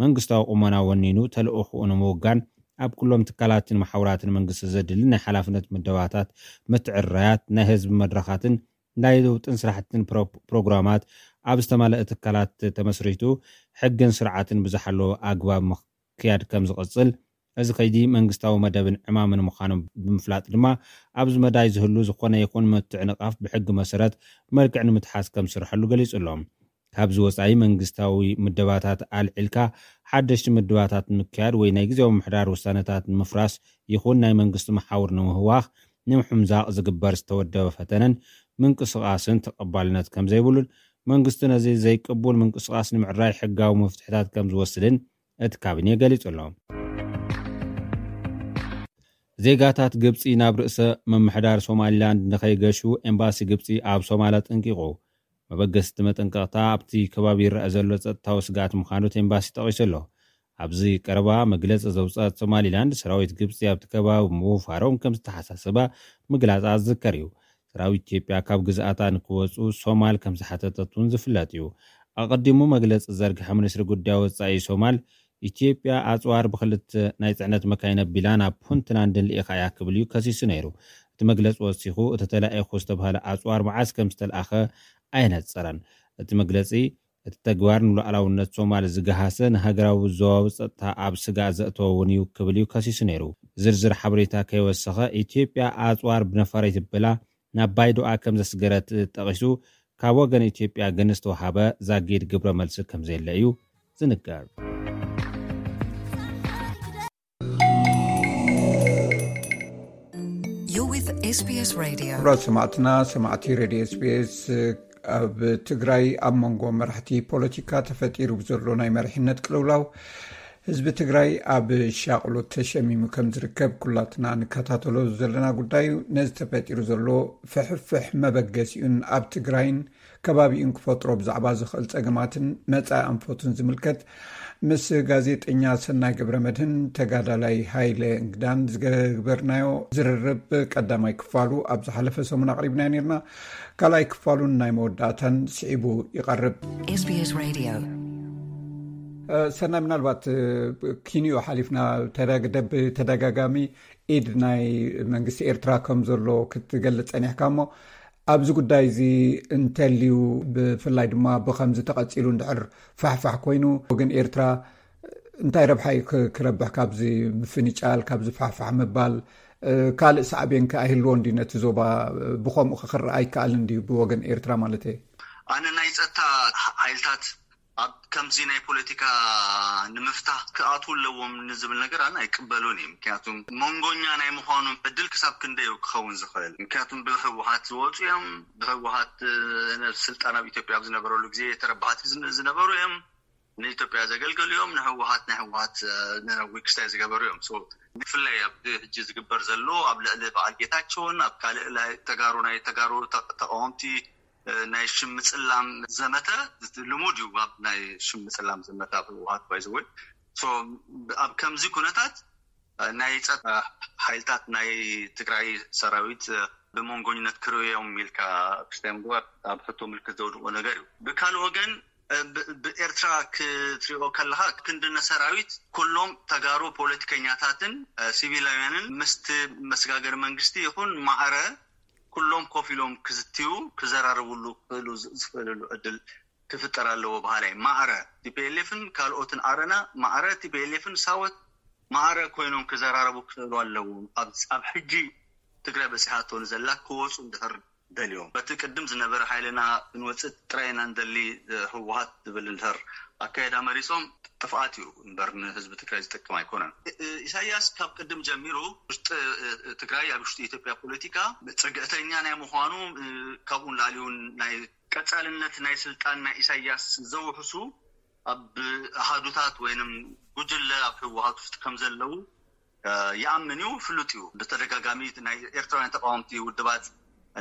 መንግስታዊ ቁመና ወኒኑ ተልእኹኡ ንምውጋን ኣብ ኩሎም ትካላትን መሓውራትን መንግስቲ ዘድሊ ናይ ሓላፍነት ምደባታት፣ ምትዕርራያት፣ ናይ ህዝቢ መድረኻትን ናይ ለውጥን ስራሕትን ፕሮ-፣ ፕሮግራማት ኣብ ዝተማልአ ትካላት ተመስሪቱ ሕግን ስርዓትን ብዝሓለወ ኣግባብ ምክያድ ከም ዝቕጽል፣ እዚ ከይዲ መንግስታዊ መደብን ዕማምን ምዃኑ ብምፍላጥ ድማ ኣብዚ መዳይ ዝህሉ ዝኾነ ይኹን ምትዕንቓፍ ብሕጊ መሰረት መልክዕ ንምትሓዝ ከም ዝስርሐሉ ገሊጹ ኣሎ። ካብዚ ወጻኢ መንግስታዊ ምደባታት ኣልዒልካ ሓደሽቲ ምደባታት ንምክያድ ወይ ናይ ግዜያዊ ምምሕዳር ውሳነታት ንምፍራስ ይኹን ናይ መንግስቲ መሓውር ንምህዋኽ ንምሕምዛቕ ዝግበር ዝተወደበ ፈተነን ምንቅስቓስን ተቐባልነት ከም ዘይብሉን መንግስቲ ነዚ ዘይቅቡል ምንቅስቓስ ንምዕራይ ሕጋዊ መፍትሕታት ከም ዝወስድን እቲ ካቢኔ ገሊጹ ኣሎ። ዜጋታት ግብጺ ናብ ርእሰ ምምሕዳር ሶማሊላንድ ንኸይገሹ ኤምባሲ ግብጺ ኣብ ሶማል ኣጠንቂቑ። መበገስቲ መጠንቀቕታ ኣብቲ ከባቢ ይረኣ ዘሎ ጸጥታዊ ስግኣት ምዃኑ እቲ ኤምባሲ ጠቒሱ ኣሎ። ኣብዚ ቀረባ መግለጺ ዘውጸኣት ሶማሊላንድ፣ ሰራዊት ግብጺ ኣብቲ ከባቢ ምውፋሮም ከም ዝተሓሳሰባ ምግላጻ ዝዝከር እዩ። ሰራዊት ኢትዮጵያ ካብ ግዝኣታ ንክወጹ ሶማል ከም ዝሓተተት እውን ዝፍለጥ እዩ። ኣቐዲሙ መግለጺ ዝዘርግሐ ሚኒስትሪ ጉዳይ ወጻኢ ሶማል፣ ኢትዮጵያ ኣጽዋር ብክልተ ናይ ጽዕነት መካይን ኣቢላ ናብ ፑንትላንድን ልኢኻ እያ ክብል እዩ ከሲሱ ነይሩ። እቲ መግለጺ ወሲኹ፣ እቲ ተላኢኹ ዝተባህለ ኣጽዋር መዓስ ከም ዝተላእኸ ኣየነጸረን። እቲ መግለጺ፣ እቲ ተግባር ንሉዓላውነት ሶማል ዝገሃሰ፣ ንሃገራዊ ዞባዊ ጸጥታ ኣብ ስጋእ ዘእተወ እውን እዩ ክብል እዩ ከሲሱ ነይሩ። ዝርዝር ሓበሬታ ከይወሰኸ፣ ኢትዮጵያ ኣጽዋር ብነፋሪት ኣቢላ ናብ ባይዶኣ ከም ዘስገረት ጠቒሱ፣ ካብ ወገን ኢትዮጵያ ግን ዝተወሃበ ዛጊድ ግብረ መልሲ ከም ዘየለ እዩ ዝንገር። You're with S B S Radio. ክቡራት ሰማዕትና፣ ሰማዕቲ ሬድዮ S B S፣ ኣብ ትግራይ ኣብ መንጎ መራሕቲ ፖለቲካ ተፈጢሩ ብዘሎ ናይ መሪሕነት ቅልውላው፣ ህዝቢ ትግራይ ኣብ ሻቕሎት ተሸሚሙ ከም ዝርከብ ኩላትና ንከታተሎ ዘለና ጉዳይ እዩ። ነዚ ተፈጢሩ ዘሎ ፍሕፍሕ መበገሲኡን ኣብ ትግራይን ከባቢኡን ክፈጥሮ ብዛዕባ ዝኽእል ጸገማትን መጻኢ ኣንፈቱን ዝምልከት ምስ ጋዜጠኛ ሰናይ ገብረ መድህን ተጋዳላይ ሃይለ እንግዳን ዝገበርናዮ ዝርርብ ቀዳማይ ክፋሉ ኣብ ዝሓለፈ ሰሙን ኣቕሪብናዮ ነርና። ካልኣይ ክፋሉን ናይ መወዳእታን ስዒቡ ይቐርብ። S B S Radio. እ፣ ሰናይ፣ ምናልባት፣ እ፣ ኪንዮ ሓሊፍና ተደግ-፣ ደብ-፣ ተደጋጋሚ ኢድ ናይ መንግስቲ ኤርትራ ከም ዘሎ ክትገልጽ ጸኒሕካ እሞ፣ ኣብዚ ጉዳይ እዚ እንተልዩ፣ ብፍላይ ድማ ብኸምዚ ተቐጺሉ እንድሕር ፋሕፋሕ ኮይኑ፣ ወገን ኤርትራ እንታይ ረብሓ እዩ ክ-፣ ክረብሕ ካብዚ ምፍንጫል፣ ካብዚ ፋሕፋሕ ምባል? ካልእ ሳዕቤን ከ ኣይህልዎ እንዲ ነቲ ዞባ? ብኸምኡ ክክረኣ ኣይከኣልን ድዩ ብወገን ኤርትራ ማለት እየ? ኣነ ናይ ጸጥታ ሓይልታት ኣብ ከምዚ ናይ ፖለቲካ ንምፍታህ ክኣትዉ ኣለዎም ንዝብል ነገር ኣነ ኣይቅበሉን እዩ። ምክንያቱም መንጎኛ ናይ ምዃኑ ዕድል ክሳብ ክንደይ ክኸውን ዝኽእል? ምክንያቱም ብህወሓት ዝወፁ እዮም፣ ብህወሓት ስልጣን ኣብ ኢትዮጵያ ኣብ ዝነበረሉ ግዜ ተረባሕቲ ዝነበሩ እዮም። ንኢትዮጵያ ዘገልገሉ እዮም። ንህወሓት ናይ ህወሓት ዊክስታይ ዝገበሩ እዮም። ብፍላይ ኣብ ሕጂ ዝግበር ዘሎ ኣብ ልዕሊ በዓል ጌታቸውን ኣብ ካልእ ናይ ተጋሩ ናይ ተጋሩ ተቃወምቲ ናይ ሽም ምጽላም ዘመተ ልሙድ እዩ። ኣብ ናይ ሽም ምጽላም ዘመተ ኣብ ህወሓት ባይዘወይ ኣብ ከምዚ ኩነታት ናይ ጸጥታ ሓይልታት ናይ ትግራይ ሰራዊት ብመንጎኝነት ክርእዮም ኢልካ ክስታይ ምግባር ኣብ ሕቶ ምልክት ዘውድቆ ነገር እዩ። ብካልእ ወገን ብኤርትራ ክትሪኦ ከለካ ክንድነ ሰራዊት ኩሎም ተጋሩ ፖለቲከኛታትን ሲቪላውያንን ምስቲ መስጋገሪ መንግስቲ ይኹን ማዕረ ኩሎም ኮፍ ኢሎም ክዝትዩ ክዘራረብሉ ክኽእሉ ዝኽእልሉ ዕድል ክፍጠር ኣለዎ በሃላይ። ማዕረ ቲፒኤልኤፍን ካልኦትን ኣረና ማዕረ ቲፒኤልኤፍን ሳወት ማዕረ ኮይኖም ክዘራረቡ ክኽእሉ ኣለዎም። ኣብ ሕጂ ትግራይ በፂሓቶ ንዘላ ክወፁ እንድሕር ደልዮም በቲ ቅድም ዝነበረ ሓይልና ክንወፅእ ጥራይ ኢና ንደሊ ህወሓት ዝብል እንድሕር ኣካየዳ መሪፆም ጥፍኣት እዩ እምበር ንህዝቢ ትግራይ ዝጠቅም ኣይኮነን። ኢሳያስ ካብ ቅድም ጀሚሩ ውሽጢ ትግራይ ኣብ ውሽጢ ኢትዮጵያ ፖለቲካ ፅግዕተኛ ናይ ምዃኑ ካብኡ ንላዕሊ እውን ናይ ቀፃልነት ናይ ስልጣን ናይ ኢሳያስ ዘውሕሱ ኣብ ኣሃዱታት ወይንም ጉጅለ ኣብ ህወሓት ውስጥ ከም ዘለዉ ይኣምን እዩ፣ ፍሉጥ እዩ። ብተደጋጋሚ ናይ ኤርትራውያን ተቃወምቲ ውድባት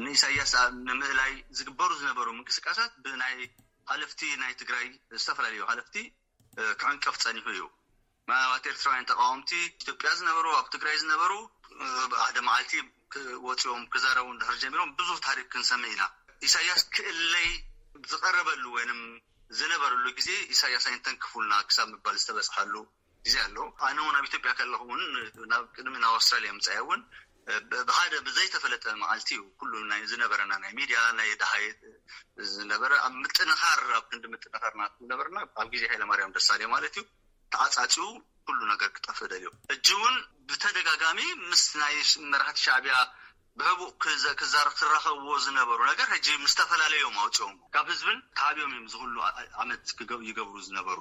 ንኢሳያስ ንምእላይ ዝግበሩ ዝነበሩ ምንቅስቃሳት ብናይ ሃለፍቲ ናይ ትግራይ ዝተፈላለዩ ሃለፍቲ ክዕንቀፍ ፀኒሑ እዩ። ምናልባት ኤርትራውያን ተቃወምቲ ኢትዮጵያ ዝነበሩ ኣብ ትግራይ ዝነበሩ ብሓደ መዓልቲ ወፂኦም ክዛረቡ እንድሕር ጀሚሮም ብዙሕ ታሪክ ክንሰምዕ ኢና። ኢሳያስ ክእለይ ዝቀረበሉ ወይንም ዝነበረሉ ግዜ ኢሳያስ ኣይንተንክፉልና ክሳብ ምባል ዝተበፅሓሉ ግዜ ኣሎ። ኣነ እውን ኣብ ኢትዮጵያ ከለኹ እውን ናብ ቅድሚ ናብ ኣውስትራሊያ ምፃያ እውን ብሓደ ብዘይተፈለጠ መዓልቲ እዩ ኩሉ ናይ ዝነበረና ናይ ሚድያ ናይ ደሃይ ዝነበረ ኣብ ምጥንኻር ኣብ ክንዲ ምጥንኻር ናቱ ዝነበርና ኣብ ግዜ ሃይለማርያም ደሳለኝ ማለት እዩ ተዓፃፂው ኩሉ ነገር ክጠፍእ ደልዮ። ሕጂ እውን ብተደጋጋሚ ምስ ናይ መራሕቲ ሻዕቢያ ብህቡእ ክራኸብዎ ዝነበሩ ነገር ሕጂ ምስ ተፈላለዮም ኣውፅኦም ካብ ህዝብን ተሃብዮም እዮም ዝኩሉ ዓመት ይገብሩ ዝነበሩ።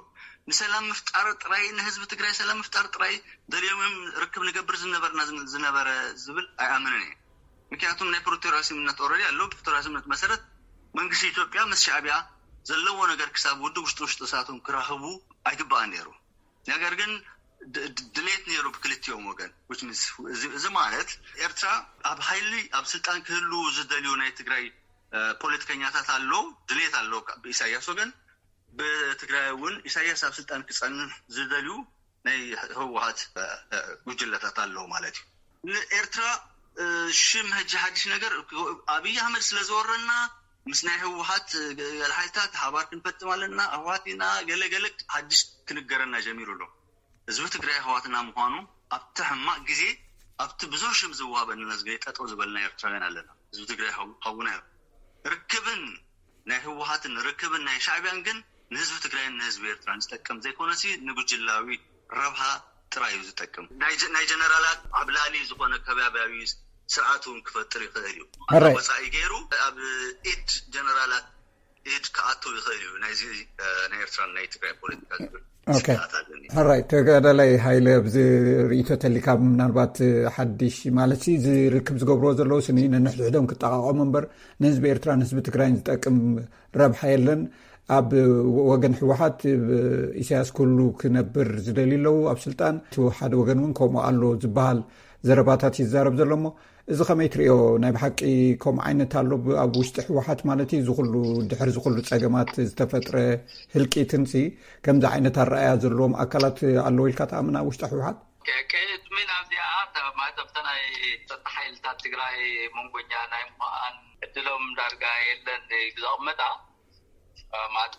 ንሰላም ምፍጣር ጥራይ ንህዝቢ ትግራይ ሰላም ምፍጣር ጥራይ ደልዮም እዮም ርክብ ንገብር ዝነበርና ዝነበረ ዝብል ኣይኣምንን እየ። ምክንያቱም ናይ ፕሪቶርያ ስምምነት ኦረዲ ኣሎ። ፕሪቶርያ ስምምነት መሰረት መንግስቲ ኢትዮጵያ ምስ ሻዕቢያ ዘለዎ ነገር ክሳብ ውድብ ውሽጢ ውሽጢ እሳቶም ክራኸቡ ኣይግባኣን ነይሩ። ነገር ግን ድሌት ነይሩ ብክልቲኦም ወገን። እዚ ማለት ኤርትራ ኣብ ሓይሊ ኣብ ስልጣን ክህልው ዝደልዩ ናይ ትግራይ ፖለቲከኛታት ኣሎ፣ ድሌት ኣሎ ብኢሳያስ ወገን። ብትግራይ እውን ኢሳያስ ኣብ ስልጣን ክፀንሕ ዝደልዩ ናይ ህወሓት ጉጅለታት ኣለዉ ማለት እዩ። ንኤርትራ ሽም ሕጂ ሓድሽ ነገር ኣብይ ኣሕመድ ስለ ዝወረና ምስ ናይ ህወሓት ገለ ሓይልታት ሓባር ክንፈጥም ኣለና፣ ኣሕዋት ኢና ገለ ገለ ሓድሽ ክንገረና ጀሚሩ ኣሎ። ህዝቢ ትግራይ ኣሕዋትና ምዃኑ ኣብቲ ሕማቕ ግዜ ኣብቲ ብዙሕ ሽም ዝዋሃበና ግዜ ጠጠው ዝበልና ኤርትራውያን ኣለና። ህዝቢ ትግራይ ሓውና እዩ። ርክብን ናይ ህወሓትን ርክብን ናይ ሻዕቢያን ግን ንህዝቢ ትግራይን ንህዝቢ ኤርትራን ዝጠቅም ዘይኮነሲ ንጉጅላዊ ረብሃ ጥራይ እዩ ዝጠቅም። ናይ ጀነራላት ኣብ ላዕሊ ዝኾነ ከባቢያዊ ስርዓት እውን ክፈጥር ይኽእል እዩ። ወፃኢ ገይሩ ኣብ ኢድ ጀነራላት ኢድ ክኣቱ ይኽእል እዩ ናይዚ ናይ ኤርትራን ናይ ትግራይ ፖለቲካ ዝብል ስግኣት ኣለኒ። ሕራይ ተጋዳላይ ሃይለ ኣብዚ ርእይቶ ተሊካ ምናልባት ሓድሽ ማለት እዚ ርክብ ዝገብርዎ ዘለዉ ስኒ ነንሕድሕዶም ክጠቃቀሙ እምበር ንህዝቢ ኤርትራን ህዝቢ ትግራይን ዝጠቅም ረብሓ የለን። ኣብ ወገን ህወሓት ኢሳያስ ክህሉ ክነብር ዝደልዩ ኣለዉ ኣብ ስልጣን፣ እቲ ሓደ ወገን እውን ከምኡ ኣሎ ዝበሃል ዘረባታት ይዛረብ ዘሎ። እሞ እዚ ከመይ ትርእዮ? ናይ ብሓቂ ከምኡ ዓይነት ኣሎ ኣብ ውሽጢ ህወሓት ማለት እዩ? ዝኩሉ ድሕሪ ዝኩሉ ፀገማት ዝተፈጥረ ህልቂትንሲ ከምዚ ዓይነት ኣረኣያ ዘለዎም ኣካላት ኣለዉ ኢልካ ትኣምን ኣብ ውሽጢ ህወሓት? ቅድሚ ናብዚኣ ማለትብተ ናይ ፀጥታ ሓይልታት ትግራይ መንጎኛ ናይ ምዃን ዕድሎም ዳርጋ የለን እዩ ዘቐመጣ ማለት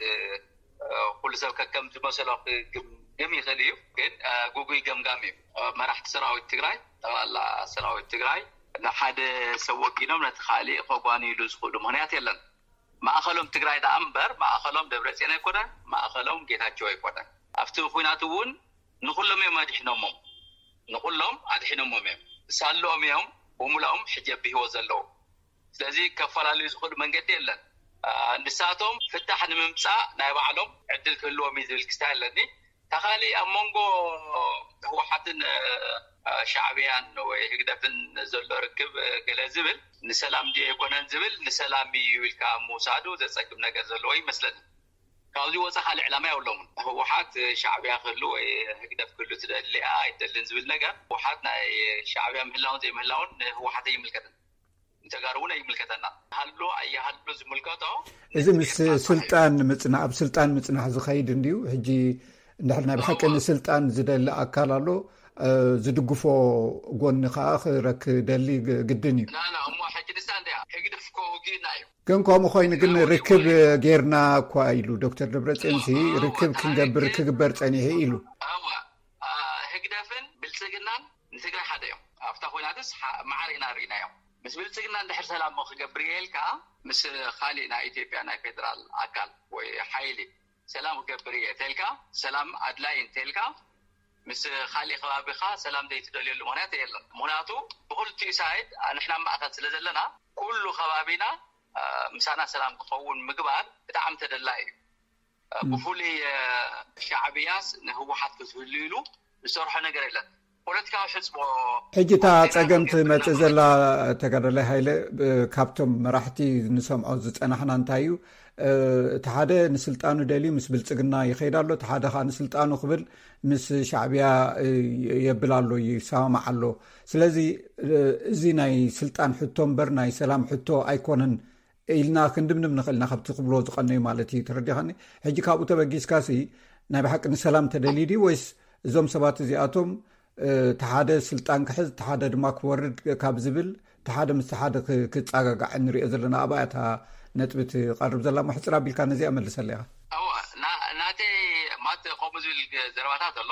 ኩሉ ሰብ ከከም ዝመሰሎ ክግምግም ይኽእል እዩ። ግን ጉጉይ ገምጋም እዩ። መራሕቲ ሰራዊት ትግራይ፣ ጠቕላላ ሰራዊት ትግራይ ንሓደ ሰብ ወጊኖም ነቲ ካሊእ ከጓንይሉ ዝኽእሉ ምኽንያት የለን። ማእኸሎም ትግራይ ደኣ እምበር ማእኸሎም ደብረፅዮን ኣይኮነን፣ ማእኸሎም ጌታቸው ኣይኮነን። ኣብቲ ኲናት እውን ንኹሎም እዮም ኣድሒኖሞም፣ ንኹሎም ኣድሒኖሞም እዮም። ሳልኦም እዮም ብሙላኦም ሕጂ ኣብ ህይወት ዘለዉ። ስለዚ ከፈላለዩ ዝኽእሉ መንገዲ የለን። ንሳቶም ፍታሕ ንምምፃእ ናይ ባዕሎም ዕድል ክህልዎም እዩ ዝብል ክስታይ ኣለኒ። ተኻሊ ኣብ መንጎ ህወሓትን ሻዕብያን ወይ ህግደፍን ዘሎ ርክብ ገለ ዝብል ንሰላም ድዮ ኣይኮነን ዝብል ንሰላም እዩ ኢልካ ምውሳዱ ዘፀግም ነገር ዘለዎ ይመስለኒ። ካብዚ ወፃ ካልእ ዕላማ የብሎምን። ህወሓት ሻዕብያ ክህሉ ወይ ህግደፍ ክህሉ ትደሊ ኣይደልን ዝብል ነገር ህወሓት ናይ ሻዕብያ ምህላውን ዘይምህላውን ንህወሓት ኣይምልከትን። ንተጋሩ እውን ኣይምልከተና። ሃሉ ኣየሃሉ ዝምልከቶ እዚ ምስ ስልጣን ምፅና ኣብ ስልጣን ምፅናሕ ዝኸይድ እንድዩ። ሕጂ እንድሕር ናይ ብሓቂ ንስልጣን ዝደሊ ኣካል ኣሎ፣ ዝድግፎ ጎኒ ከዓ ክረክ ደሊ ግድን እዩ። ናና እሞ ሕጂ ንሳ እንዲያ ህግደፍ እኮ ውግእና እዩ። ግን ከምኡ ኮይኑ ግን ርክብ ጌርና እኳ ኢሉ ዶክተር ደብረፅዮንሲ ርክብ ክንገብር ክግበር ፀኒሑ ኢሉ። ህግደፍን ብልፅግናን ንትግራይ ሓደ እዮም። ኣብታ ኮይናትስ ማዕረ ኢና ርኢናዮም። ምስ ብልፅግና እንድሕር ሰላም ክገብር እየ ኢልካ ምስ ካሊእ ናይ ኢትዮጵያ ናይ ፌደራል ኣካል ወይ ሓይሊ ሰላም ክገብር እየ ተልካ ሰላም ኣድላይ እንተልካ ምስ ካሊእ ከባቢኻ ሰላም ዘይትደልየሉ ምክንያት የለን። ምክንያቱ ብክልቲኡ ሳይድ ንሕና ማእኸል ስለ ዘለና ኩሉ ከባቢና ምሳና ሰላም ክኸውን ምግባር ብጣዕሚ ተደላይ እዩ። ብፍሉይ ሻዕብያስ ንህወሓት ክትህሉ ኢሉ ዝሰርሖ ነገር የለን። ፖለቲካዊ ሕፅቦ ሕጂ እታ ፀገም ትመፅእ ዘላ ተጋዳላይ ሃይለ ካብቶም መራሕቲ ንሰምዖ ዝፀናሕና እንታይ እዩ? እቲ ሓደ ንስልጣኑ ደልዩ ምስ ብልፅግና ይኸይድ ኣሎ፣ እቲ ሓደ ከዓ ንስልጣኑ ክብል ምስ ሻዕብያ የብል ኣሎ፣ ይሰማማዕ ኣሎ። ስለዚ እዚ ናይ ስልጣን ሕቶ እምበር ናይ ሰላም ሕቶ ኣይኮነን ኢልና ክንድምድም ንኽእል ኢና፣ ካብቲ ክብሎ ዝቐነዩ ማለት እዩ። ተረዲኻኒ? ሕጂ ካብኡ ተበጊስካሲ ናይ ብሓቂ ንሰላም ተደልዩ ድዩ ወይስ እዞም ሰባት እዚኣቶም እቲ ሓደ ስልጣን ክሕዝ እቲ ሓደ ድማ ክወርድ ካብ ዝብል እቲ ሓደ ምስ ሓደ ክፃጋጋዕ እንሪኦ ዘለና ኣብኣ እታ ነጥቢ ትቐርብ ዘላ። ሕፅር ኣቢልካ ነዚኣ መልሰላ ኢኻ። እዋ ናተይ ማት ከምኡ ዝብል ዘረባታት ኣሎ።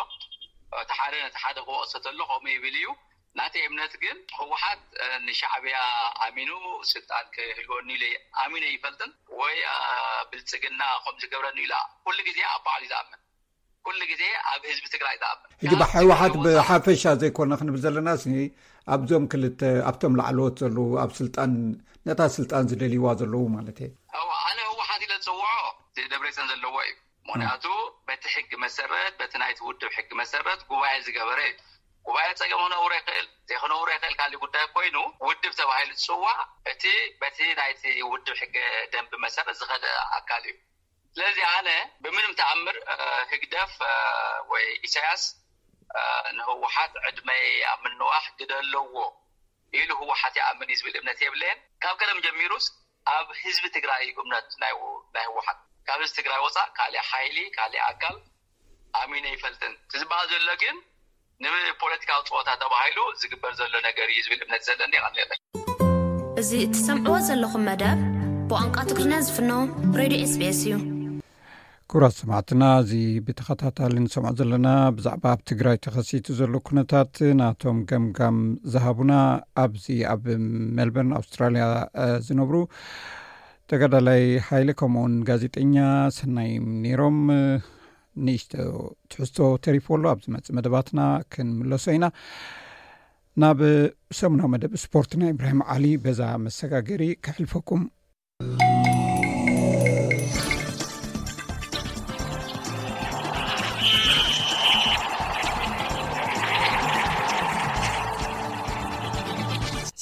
እቲ ሓደ ነቲ ሓደ ክወቅሶ ተሎ ከምኡ ይብል እዩ። ናተይ እምነት ግን ህወሓት ንሻዕብያ ኣሚኑ ስልጣን ክህልወኒ ኢለ ኣሚነ ይፈልጥን ወይ ብልፅግና ከም ዝገብረኒ ኢላ ኩሉ ግዜ ኣብ ባዕሉ ዝኣምን ኩሉ ግዜ ኣብ ህዝቢ ትግራይ ዝኣምን። ሕጂ ብህወሓት ብሓፈሻ ዘይኮነ ክንብል ዘለና ሲ ኣብዞም ክልተ ኣብቶም ላዕለዎት ዘለዉ ኣብ ስልጣን ነታ ስልጣን ዝደልይዋ ዘለዉ ማለት እየ። ኣነ ህወሓት ኢለ ዝፅውዖ ደብረፅዮን ዘለዎ እዩ። ምክንያቱ በቲ ሕጊ መሰረት በቲ ናይቲ ውድብ ሕጊ መሰረት ጉባኤ ዝገበረ እዩ። ጉባኤ ፀገም ክነውሮ ይኽእል ዘይክነውሮ ይኽእል ካልእ ጉዳይ ኮይኑ ውድብ ተባሂሉ ዝፅዋዕ እቲ በቲ ናይቲ ውድብ ሕገ ደንቢ መሰረት ዝኸደ ኣካል እዩ። ስለዚ ኣነ ብምንም ተኣምር ህግደፍ ወይ ኢሳያስ ንህወሓት ዕድመይ ኣብ ምንዋሕ ግደ ኣለዎ ኢሉ ህወሓት ይኣምን እዩ ዝብል እምነት የብለየን። ካብ ቀደም ጀሚሩስ ኣብ ህዝቢ ትግራይ እዩ እምነት ናይ ህወሓት። ካብ ህዝቢ ትግራይ ወፃእ ካሊእ ሓይሊ ካሊእ ኣካል ኣሚነ ይፈልጥን። እቲ ዝበሃል ዘሎ ግን ንፖለቲካዊ ፀወታ ተባሂሉ ዝግበር ዘሎ ነገር እዩ ዝብል እምነት ዘለኒ ይቐንየለይ። እዚ እትሰምዕዎ ዘለኹም መደብ ብቋንቋ ትግርኛ ዝፍኖ ሬድዮ ኤስቢኤስ እዩ። ክቡራት ሰማዕትና፣ እዚ ብተኸታታሊ ንሰምዖ ዘለና ብዛዕባ ኣብ ትግራይ ተኸሲቱ ዘሎ ኩነታት ናቶም ገምጋም ዝሃቡና ኣብዚ ኣብ ሜልበርን ኣውስትራልያ ዝነብሩ ተጋዳላይ ሓይለ ከምኡውን ጋዜጠኛ ሰናይ ነይሮም። ንእሽቶ ትሕዝቶ ተሪፎ ኣሎ። ኣብ ዝመጽእ መደባትና ክንምለሶ ኢና። ናብ ሰሙናዊ መደብ ስፖርት ናይ ኢብራሂም ዓሊ በዛ መሰጋገሪ ከሕልፈኩም።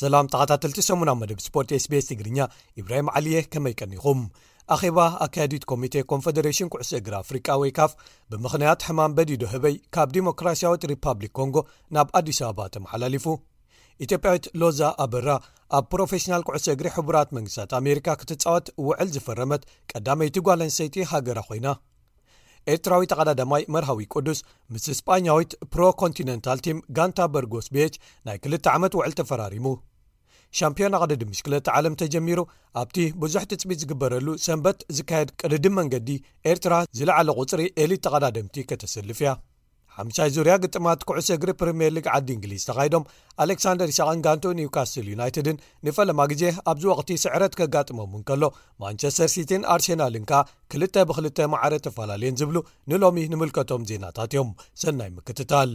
ሰላም ተኸታተልቲ ሰሙናዊ መደብ ስፖርት ኤስቢኤስ ትግርኛ፣ ኢብራሂም ዓሊየ፣ ከመይ ቀኒኹም? ኣኼባ ኣካያዲት ኮሚቴ ኮንፈደሬሽን ኩዕሶ እግሪ ኣፍሪቃ ወይ ካፍ ብምኽንያት ሕማም በዲዶ ህበይ ካብ ዲሞክራሲያዊት ሪፓብሊክ ኮንጎ ናብ ኣዲስ ኣበባ ተመሓላሊፉ። ኢትዮጵያዊት ሎዛ ኣበራ ኣብ ፕሮፌሽናል ኩዕሶ እግሪ ሕቡራት መንግስታት ኣሜሪካ ክትጻወት ውዕል ዝፈረመት ቀዳመይቲ ጓል ኣንስተይቲ ሃገራ ኮይና። ኤርትራዊ ተቐዳዳማይ መርሃዊ ቅዱስ ምስ ስጳኛዊት ፕሮ ኮንቲነንታል ቲም ጋንታ በርጎስ ቤች ናይ ክልተ ዓመት ውዕል ተፈራሪሙ። ሻምፒዮና ቅድድም ብሽክለታ ዓለም ተጀሚሩ ኣብቲ ብዙሕ ትጽቢት ዝግበረሉ ሰንበት ዝካየድ ቅድድም መንገዲ ኤርትራ ዝለዓለ ቁጽሪ ኤሊት ተቐዳደምቲ ከተሰልፍ እያ። ሓምሻይ ዙርያ ግጥማት ኩዕሶ እግሪ ፕሪምየር ሊግ ዓዲ እንግሊዝ ተኻይዶም ኣሌክሳንደር ኢሳቕን ጋንትኡ ኒውካስል ዩናይትድን ንፈለማ ግዜ ኣብዚ ወቕቲ ስዕረት ከጋጥሞም እንከሎ ማንቸስተር ሲቲን ኣርሴናልን ከኣ ክልተ ብክልተ ማዕረ ተፈላለየን ዝብሉ ንሎሚ ንምልከቶም ዜናታት እዮም። ሰናይ ምክትታል።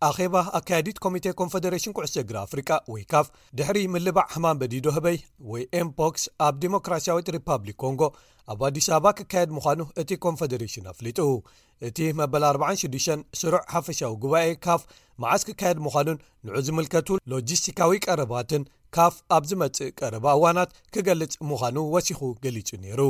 ኣኼባ ኣካያዲት ኮሚቴ ኮንፈደሬሽን ኩዕሶ እግሪ ኣፍሪቃ ወይ ካፍ ድሕሪ ምልባዕ ሕማም በዲዶ ህበይ ወይ ኤምፖክስ ኣብ ዲሞክራሲያዊት ሪፓብሊክ ኮንጎ ኣብ ኣዲስ ኣበባ ክካየድ ምዃኑ እቲ ኮንፈደሬሽን ኣፍሊጡ። እቲ መበል ኣርባዓን ሽዱሽተን ስሩዕ ሓፈሻዊ ጉባኤ ካፍ መዓስ ክካየድ ምዃኑን ንዑ ዝምልከቱ ሎጂስቲካዊ ቀረባትን ካፍ ኣብ ዝመጽእ ቀረባ እዋናት ክገልጽ ምዃኑ ወሲኹ ገሊጹ ነይሩ።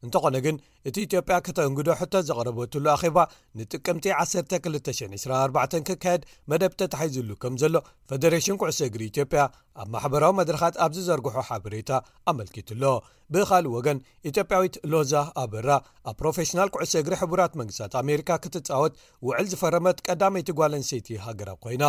እንተኾነ ግን እቲ ኢትዮጵያ ከተንግዶ ሕቶ ዘቕረበትሉ ኣኼባ ንጥቅምቲ ዓሰርተ ክልተ ሽሕን ዕስራን ኣርባዕተን ክካየድ መደብ ተታሒዙሉ ከም ዘሎ ፈደሬሽን ኩዕሶ እግሪ ኢትዮጵያ ኣብ ማሕበራዊ መድረኻት ኣብ ዝዘርግሖ ሓበሬታ ኣመልኪቱሎ። ብኻልእ ወገን ኢትዮጵያዊት ሎዛ ኣበራ ኣብ ፕሮፌሽናል ኩዕሶ እግሪ ሕቡራት መንግስታት ኣሜሪካ ክትጻወት ውዕል ዝፈረመት ቀዳመይቲ ጓል ኣንስተይቲ ሃገራብ ኮይና።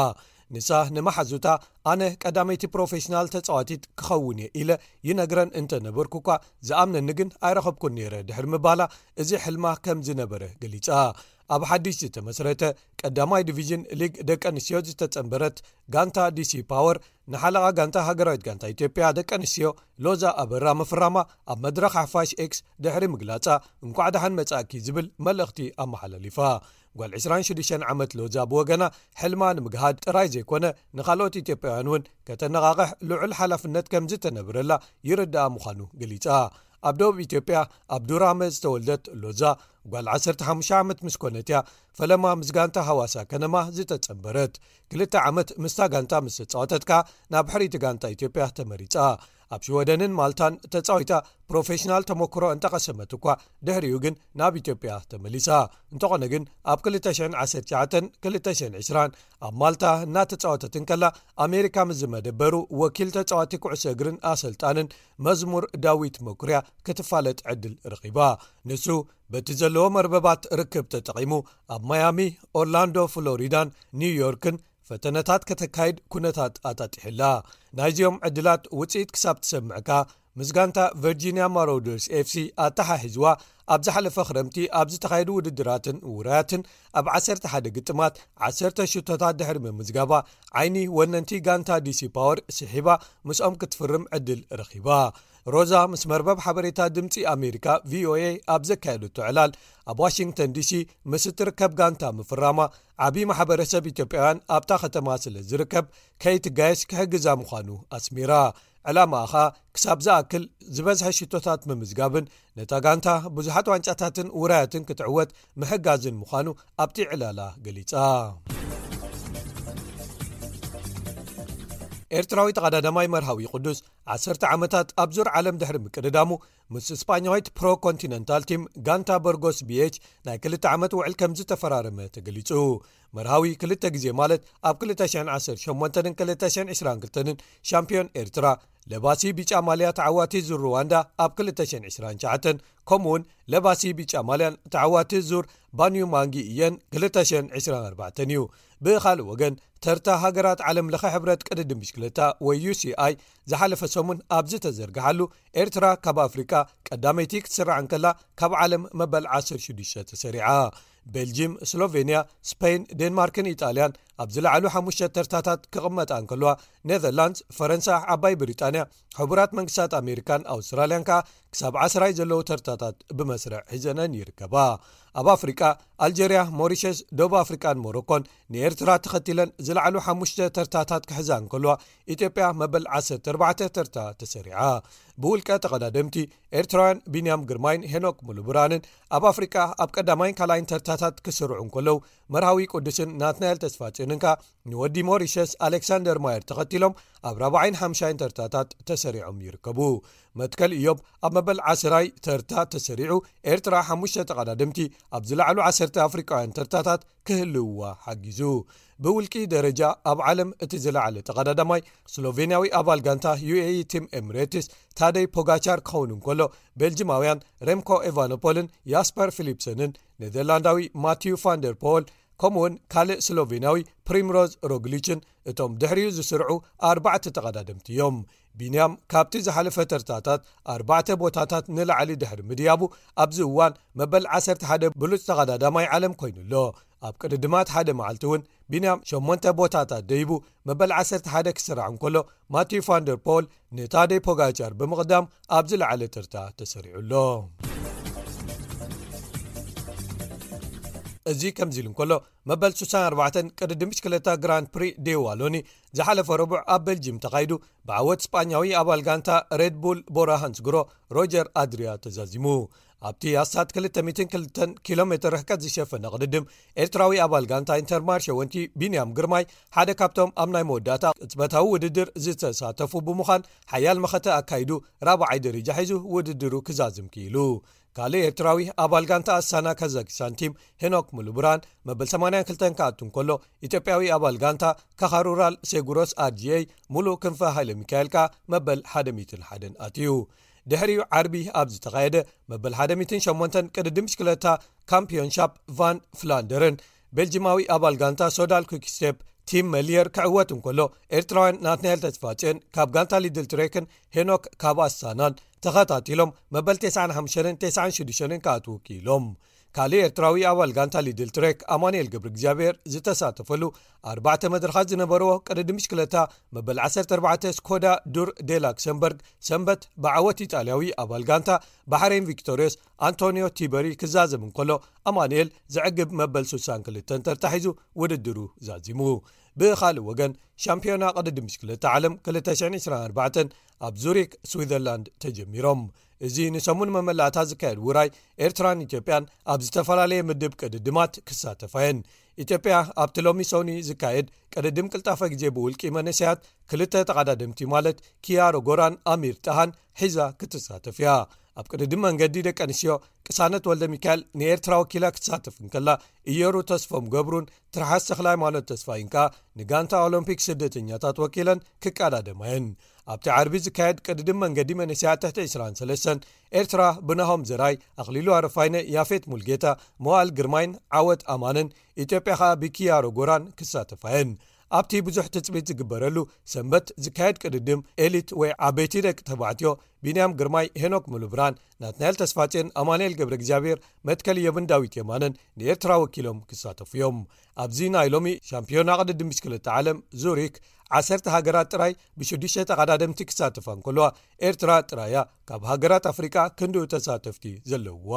ንሳ ንመሓዙታ ኣነ ቀዳመይቲ ፕሮፌሽናል ተጻዋቲት ክኸውን እየ ኢለ ይነግረን እንተነበርኩ እኳ ዝኣምነኒ ግን ኣይረኸብኩን ነይረ ድሕሪ ምባላ እዚ ሕልማ ከም ዝነበረ ገሊጻ። ኣብ ሓድሽ ዝተመስረተ ቀዳማይ ዲቪዥን ሊግ ደቂ ኣንስትዮ ዝተጸንበረት ጋንታ ዲሲ ፓወር ንሓለቓ ጋንታ ሃገራዊት ጋንታ ኢትዮጵያ ደቂ ኣንስትዮ ሎዛ ኣበራ ምፍራማ ኣብ መድረኽ ሓፋሽ ኤክስ ድሕሪ ምግላጻ እንኳዕ ደሓን መጻእኪ ዝብል መልእኽቲ ኣመሓላሊፋ። ጓል ዕስራን ሽዱሽተን ዓመት ሎዛ ብወገና ሕልማ ንምግሃድ ጥራይ ዘይኮነ ንኻልኦት ኢትዮጵያውያን እውን ከተነቓቕሕ ልዑል ሓላፍነት ከም ዝተነብረላ ይርዳኣ ምዃኑ ገሊጻ። ኣብ ደቡብ ኢትዮጵያ ኣብ ዱራመ ዝተወልደት ሎዛ ጓል ዓሰርተ ሓሙሽተ ዓመት ምስ ኮነት እያ ፈለማ ምስ ጋንታ ሃዋሳ ከነማ ዝተጸንበረት። ክልተ ዓመት ምስታ ጋንታ ምስ ተጻወተት ከኣ ናብ ሕርይቲ ጋንታ ኢትዮጵያ ተመሪጻ። ኣብ ሽወደንን ማልታን ተጻዊታ ፕሮፌሽናል ተመክሮ እንተቐሰመት እኳ ድሕሪኡ ግን ናብ ኢትዮጵያ ተመሊሳ። እንተኾነ ግን ኣብ ክልተ ሽሕን ዓሰርተ ትሽዓተን ክልተ ሽሕን ዕስራን ኣብ ማልታ እናተጻወተት እንከላ ኣሜሪካ ምስ ዝመደበሩ ወኪል ተጻዋቲ ኩዕሶ እግርን ኣሰልጣንን መዝሙር ዳዊት መኩርያ ክትፋለጥ ዕድል ረኺባ። ንሱ በቲ ዘለዎ መርበባት ርክብ ተጠቒሙ ኣብ ማያሚ፣ ኦርላንዶ ፍሎሪዳን ኒውዮርክን ፈተነታት ከተካይድ ኩነታት ኣጣጢሕላ። ናይዚኦም ዕድላት ውጽኢት ክሳብ ትሰምዕካ ምስ ጋንታ ቨርጂኒያ ማሮደርስ ኤፍሲ ኣተሓሒዝዋ ኣብ ዝሓለፈ ክረምቲ ኣብ ዝተኻየዱ ውድድራትን ውራያትን ኣብ ዓሰርተ ሓደ ግጥማት ዓሰርተ ሽቶታት ድሕሪ ምምዝጋባ ዓይኒ ወነንቲ ጋንታ ዲሲ ፓወር ስሒባ ምስኦም ክትፍርም ዕድል ረኺባ። ሮዛ ምስ መርበብ ሓበሬታ ድምጺ ኣሜሪካ ቪኦኤ ኣብ ዘካየደቶ ዕላል ኣብ ዋሽንግተን ዲሲ ምስ እትርከብ ጋንታ ምፍራማ ዓቢ ማሕበረሰብ ኢትዮጵያውያን ኣብታ ከተማ ስለ ዝርከብ ከይትጋየሽ ክሕግዛ ምዃኑ ኣስሚራ። ዕላማኣ ኸኣ ክሳብ ዝኣክል ዝበዝሐ ሽቶታት ምምዝጋብን ነታ ጋንታ ብዙሓት ዋንጫታትን ውራያትን ክትዕወት ምሕጋዝን ምዃኑ ኣብቲ ዕላላ ገሊጻ። ኤርትራዊ ተቐዳዳማይ መርሃዊ ቅዱስ ዓሰርተ ዓመታት ኣብ ዙር ዓለም ድሕሪ ምቅድዳሙ ምስ ስጳኛዊት ፕሮ ኮንቲነንታል ቲም ጋንታ በርጎስ ቢኤች ናይ ክልተ ዓመት ውዕል ከም ዝተፈራረመ ተገሊጹ። መርሃዊ ክልተ ግዜ ማለት ኣብ ክልተ ሽሕን ዓሰርተ ሸሞንተን ክልተ ሽሕን ዕስራን ክልተን ሻምፒዮን ኤርትራ ለባሲ ቢጫ ማልያ ተዓዋቲ ዙር ሩዋንዳ ኣብ ክልተ ሽሕን ዕስራን ትሽዓተን ከምኡውን ለባሲ ቢጫ ማልያን ተዓዋቲ ዙር ባንዩ ማንጊ እየን ክልተ ሽሕን ዕስራን ኣርባዕተን እዩ። ብኻልእ ወገን ተርታ ሃገራት ዓለም ለኸ ሕብረት ቅድድም ብሽክለታ ወይ ዩ ሲ ኣይ ዝሓለፈ ሰሙን ኣብ ዝተዘርግሓሉ ኤርትራ ካብ ኣፍሪቃ ቀዳመይቲ ክትስራዕ እንከላ ካብ ዓለም መበል ዓሰርተ ሽዱሽተ ተሰሪዓ። ቤልጂም፣ ስሎቬንያ፣ ስፔን፣ ዴንማርክን ኢጣልያን ኣብ ዝለዓሉ ሓሙሽተ ተርታታት ክቕመጣ እንከለዋ ኔዘርላንድስ፣ ፈረንሳ፣ ዓባይ ብሪጣንያ፣ ሕቡራት መንግስታት ኣሜሪካን ኣውስትራልያን ከኣ ክሳብ ዓስራይ ዘለዉ ተርታታት ብመስርዕ ሒዘነን ይርከባ። ኣብ ኣፍሪቃ ኣልጀርያ፣ ሞሪሸስ፣ ደቡብ ኣፍሪቃን ሞሮኮን ንኤርትራ ተኸቲለን ዝለዓሉ ሓሙሽተ ተርታታት ክሕዛ እንከለዋ ኢትዮጵያ መበል ዓሰርተ ኣርባዕተ ተርታ ተሰሪዓ። ብውልቀ ተቐዳደምቲ ኤርትራውያን ቢንያም ግርማይን ሄኖክ ሙሉብርሃንን ኣብ ኣፍሪቃ ኣብ ቀዳማይን ካልኣይን ተርታታት ክስርዑ እንከለዉ መርሃዊ ቅዱስን ናትናኤል ተስፋጽዮንን ከኣ ንወዲ ሞሪሸስ ኣሌክሳንደር ማየር ተኸቲሎም ኣብ ራብዓይን ሓምሻይን ተርታታት ተሰሪዖም ይርከቡ። መትከል ኢዮብ ኣብ መበል ዓስራይ ተርታ ተሰሪዑ ኤርትራ ሓሙሽተ ተቐዳደምቲ ኣብ ዝለዓሉ ዓሰርተ ኣፍሪቃውያን ተርታታት ክህልውዋ ሓጊዙ። ብውልቂ ደረጃ ኣብ ዓለም እቲ ዝለዓለ ተቐዳዳማይ ስሎቬንያዊ ኣባል ጋንታ ዩ ኤ ኢ ቲም ኤምሬትስ ታደይ ፖጋቻር ክኸውን እንከሎ ቤልጅማውያን ሬምኮ ኤቫኖፖልን ያስፐር ፊሊፕሰንን ኔዘርላንዳዊ ማቲዩ ፋንደር ፖል ከምኡውን ካልእ ስሎቬንያዊ ፕሪምሮዝ ሮግሊችን እቶም ድሕሪኡ ዝስርዑ ኣርባዕተ ተቐዳደምቲ እዮም። ቢንያም ካብቲ ዝሓለፈ ተርታታት ኣርባዕተ ቦታታት ንላዕሊ ድሕሪ ምድያቡ ኣብዚ እዋን መበል ዓሰርተ ሓደ ብሉጽ ተቐዳዳማይ ዓለም ኮይኑ ኣሎ። ኣብ ቅድድማት ሓደ መዓልቲ እውን ቢንያም ሸሞንተ ቦታታት ደይቡ መበል ዓሰርተ ሓደ ክስራዕ እንከሎ ማቲዩ ፋንደር ፖል ንታደይ ፖጋቻር ብምቕዳም ኣብ ዝለዓለ ተርታ ተሰሪዑ ኣሎ። እዚ ከምዚ ኢሉ እንከሎ፣ መበል ስሳን ኣርባዕተን ቅድድም ብሽክለታ ግራንድ ፕሪ ዴ ዋሎኒ ዝሓለፈ ረቡዕ ኣብ ቤልጅም ተኻይዱ፣ ብዓወት ስጳኛዊ ኣባል ጋንታ ሬድ ቡል ቦራ ሃንስግሮ ሮጀር ኣድሪያ ተዛዚሙ። ኣብቲ ኣስታት ክልተ ሚእትን ክልተን ኪሎ ሜትር ርሕቀት ዝሸፈነ ቅድድም፣ ኤርትራዊ ኣባል ጋንታ ኢንተርማርሸ ወንቲ ቢንያም ግርማይ ሓደ ካብቶም ኣብ ናይ መወዳእታ ቅጽበታዊ ውድድር ዝተሳተፉ ብምዃን፣ ሓያል መኸተ ኣካይዱ ራብዓይ ደረጃ ሒዙ ውድድሩ ክዛዝም ክኢሉ። ካልእ ኤርትራዊ ኣባል ጋንታ ኣሳና ካዛኪስታን ቲም ሄኖክ ሙሉብራን መበል ሰማንያን ክልተን ክኣቱ እንከሎ፣ ኢትዮጵያዊ ኣባል ጋንታ ካኻሩራል ሴጉሮስ ኣርጂኤይ ሙሉእ ክንፈ ሃይለ ሚካኤል ከኣ መበል ሓደ ሚእትን ሓደን ኣትዩ። ድሕሪኡ ዓርቢ ኣብ ዝተኻየደ መበል ሓደ ሚእትን ሸሞንተን ቅድድም ብሽክለታ ካምፒዮንሻፕ ቫን ፍላንደርን ቤልጂማዊ ኣባል ጋንታ ሶዳል ኩክስቴፕ ቲም መሊየር ክዕወት እንከሎ፣ ኤርትራውያን ናትናኤል ተስፋጽዮን ካብ ጋንታ ሊድል ትሬክን ሄኖክ ካብ ኣሳናን ተኸታቲሎም መበል ተስዓን ሓሙሽተን ተስዓን ሽዱሽተን ክኣትዉ ክኢሎም። ካልእ ኤርትራዊ ኣባል ጋንታ ሊድል ትሬክ ኣማኑኤል ገብረ እግዚኣብሔር ዝተሳተፈሉ ኣርባዕተ መድረኻት ዝነበርዎ ቅድድም ብሽክለታ፣ መበል ዓሰርተ ኣርባዕተ ስኮዳ ዱር ዴ ላክሰምበርግ ሰንበት ብዓወት ኢጣልያዊ ኣባል ጋንታ ባሕሬን ቪክቶሪዮስ ኣንቶኒዮ ቲበሪ ክዛዘም እንከሎ፣ ኣማኑኤል ዘዕግብ መበል ስሳን ክልተን ተርታ ሒዙ ውድድሩ ዛዚሙ። ብኻልእ ወገን፣ ሻምፒዮና ቅድድም ብሽክለታ ዓለም ክልተ ሽሕን ዕስራን ኣርባዕተን ኣብ ዙሪክ ስዊዘርላንድ ተጀሚሮም። እዚ ንሰሙን መመላእታ ዝካየድ ውራይ፣ ኤርትራን ኢትዮጵያን ኣብ ዝተፈላለየ ምድብ ቅድድማት ክሳተፋ እየን። ኢትዮጵያ ኣብቲ ሎሚ ሰውኒ ዝካየድ ቅድድም ቅልጣፈ ግዜ ብውልቂ መንእሰያት ክልተ ተቐዳደምቲ ማለት ኪያሮ ጎራን ኣሚር ጣሃን ሒዛ ክትሳተፍ እያ። ኣብ ቅድድም መንገዲ ደቂ ኣንስትዮ፣ ቅሳነት ወልደ ሚካኤል ንኤርትራ ወኪላ ክትሳተፍ እንከላ፣ እየሩ ተስፎም ገብሩን ትርሓስ ተኽለ ሃይማኖት ተስፋይን ከኣ ንጋንታ ኦሎምፒክ ስደተኛታት ወኪለን ክቀዳደማ እየን። ኣብቲ ዓርቢ ዝካየድ ቅድድም መንገዲ መንእሰያት ትሕቲ ዕስራን ሰለስተን፣ ኤርትራ ብናሆም ዘርኣይ፣ ኣኽሊሉ ኣረፋይነ፣ ያፌት ሙልጌታ፣ መዋእል ግርማይን ዓወት ኣማንን፣ ኢትዮጵያ ከኣ ብኪያሮ ጎራን ክሳተፋ እየን። ኣብቲ ብዙሕ ትጽቢት ዝግበረሉ ሰንበት ዝካየድ ቅድድም ኤሊት ወይ ዓበይቲ ደቂ ተባዕትዮ፣ ቢንያም ግርማይ፣ ሄኖክ ሙሉብርሃን፣ ናትናኤል ተስፋጽዮን፣ ኣማኑኤል ገብረ እግዚኣብሔር፣ መትከል እዮብን ዳዊት የማነን ንኤርትራ ወኪሎም ክሳተፉ እዮም። ኣብዚ ናይ ሎሚ ሻምፒዮና ቅድድም ብሽክለታ ዓለም ዙሪክ፣ ዓሰርተ ሃገራት ጥራይ ብሽዱሽተ ተቐዳደምቲ ክሳተፋ እንከለዋ፣ ኤርትራ ጥራይ እያ ካብ ሃገራት ኣፍሪቃ ክንድኡ ተሳተፍቲ ዘለውዋ።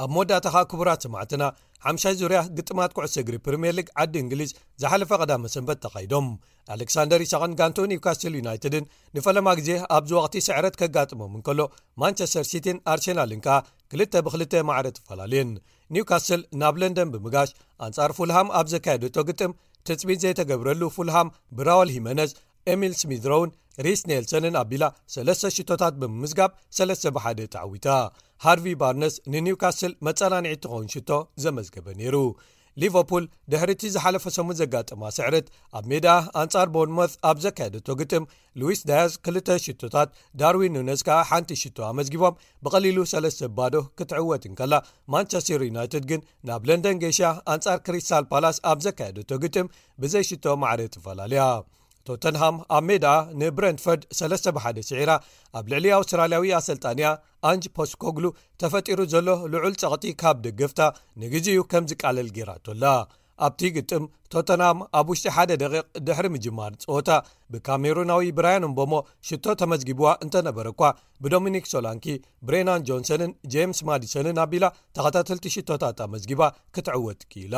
ኣብ መወዳእታ ኸኣ፣ ክቡራት ሰማዕትና፣ ሓምሻይ ዙርያ ግጥማት ኩዕሶ እግሪ ፕሪምየር ሊግ ዓዲ እንግሊዝ ዝሓለፈ ቀዳመ ሰንበት ተኻይዶም። ኣሌክሳንደር ኢሳቕን ጋንትኡ ኒውካስል ዩናይትድን ንፈለማ ግዜ ኣብዚ ወቕቲ ስዕረት ከጋጥሞም እንከሎ፣ ማንቸስተር ሲቲን ኣርሴናልን ከኣ ክልተ ብክልተ ማዕረ ተፈላለየን። ኒውካስል ናብ ለንደን ብምጋሽ ኣንጻር ፉልሃም ኣብ ዘካየደቶ ግጥም፣ ትጽቢት ዘይተገብረሉ ፉልሃም ብራውል ሂመነዝ፣ ኤሚል ስሚዝሮውን ሪስ ኔልሰንን ኣቢላ ሰለስተ ሽቶታት ብምምዝጋብ ሰለስተ ብሓደ ተዓዊታ። ሃርቪ ባርነስ ንኒውካስል መጸናንዒ ትኸውን ሽቶ ዘመዝገበ ነይሩ። ሊቨርፑል ድሕሪ እቲ ዝሓለፈ ሰሙን ዘጋጠማ ስዕረት፣ ኣብ ሜዳ ኣንጻር ቦርንሞዝ ኣብ ዘካየደቶ ግጥም፣ ሉዊስ ዳያዝ ክልተ ሽቶታት፣ ዳርዊን ኑነዝ ከኣ ሓንቲ ሽቶ ኣመዝጊቦም ብቐሊሉ ሰለስተ ባዶ ክትዕወት እንከላ፣ ማንቸስተር ዩናይትድ ግን ናብ ለንደን ገይሻ ኣንጻር ክሪስታል ፓላስ ኣብ ዘካየደቶ ግጥም ብዘይ ሽቶ ማዕረ ተፈላለያ። ቶተንሃም ኣብ ሜዳ ንብረንትፈርድ ሰለስተ ብሓደ ስዒራ፣ ኣብ ልዕሊ ኣውስትራልያዊ ኣሰልጣኒያ ኣንጅ ፖስኮግሉ ተፈጢሩ ዘሎ ልዑል ጸቕጢ ካብ ደገፍታ ንግዜኡ ከም ዝቃለል ጌራቶ ኣላ። ኣብቲ ግጥም፣ ቶተንሃም ኣብ ውሽጢ ሓደ ደቂቕ ድሕሪ ምጅማር ጸወታ፣ ብካሜሩናዊ ብራያን ምቦሞ ሽቶ ተመዝጊብዋ እንተነበረ እኳ፣ ብዶሚኒክ ሶላንኪ፣ ብሬናን ጆንሰንን ጄምስ ማዲሰንን ኣቢላ ተኸታተልቲ ሽቶታት ኣመዝጊባ ክትዕወት ክኢላ።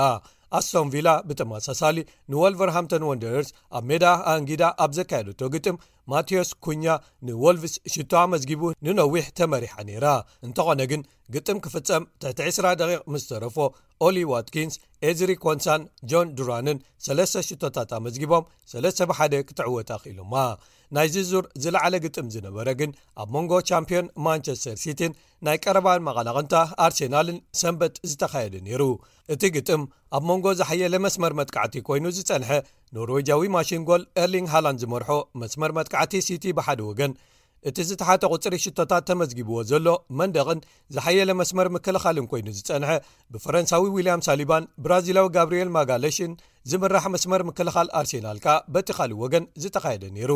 ኣስቶን ቪላ ብተመሳሳሊ ንወልቨርሃምተን ወንደረርስ ኣብ ሜዳ ኣንጊዳ ኣብ ዘካየደቶ ግጥም፣ ማቴዎስ ኩኛ ንወልቭስ ሽቶ ኣመዝጊቡ ንነዊሕ ተመሪሓ ነይራ። እንተኾነ ግን፣ ግጥም ክፍጸም ትሕቲ ዕስራ ደቂቕ ምስ ተረፎ፣ ኦሊ ዋትኪንስ፣ ኤዝሪ ኮንሳን ጆን ዱራንን ሰለስተ ሽቶታት ኣመዝጊቦም ሰለስተ ብሓደ ክትዕወት ኣኽኢሎማ። ናይዚ ዙር ዝለዓለ ግጥም ዝነበረ ግን ኣብ መንጎ ቻምፒዮን ማንቸስተር ሲቲን ናይ ቀረባ መቐናቕንታ ኣርሴናልን ሰንበት ዝተኻየደ ነይሩ። እቲ ግጥም ኣብ መንጎ ዝሓየለ መስመር መጥቃዕቲ ኮይኑ ዝጸንሐ ኖርዌጃዊ ማሽን ጎል ኤርሊንግ ሃላንድ ዝመርሖ መስመር መጥቃዕቲ ሲቲ ብሓደ ወገን፣ እቲ ዝተሓተ ቁጽሪ ሽቶታት ተመዝጊብዎ ዘሎ መንደቕን ዝሓየለ መስመር ምክልኻልን ኮይኑ ዝጸንሐ ብፈረንሳዊ ዊልያም ሳሊባን ብራዚላዊ ጋብሪኤል ማጋለሽን ዝምራሕ መስመር ምክልኻል ኣርሴናል ከኣ በቲ ካልእ ወገን ዝተኻየደ ነይሩ።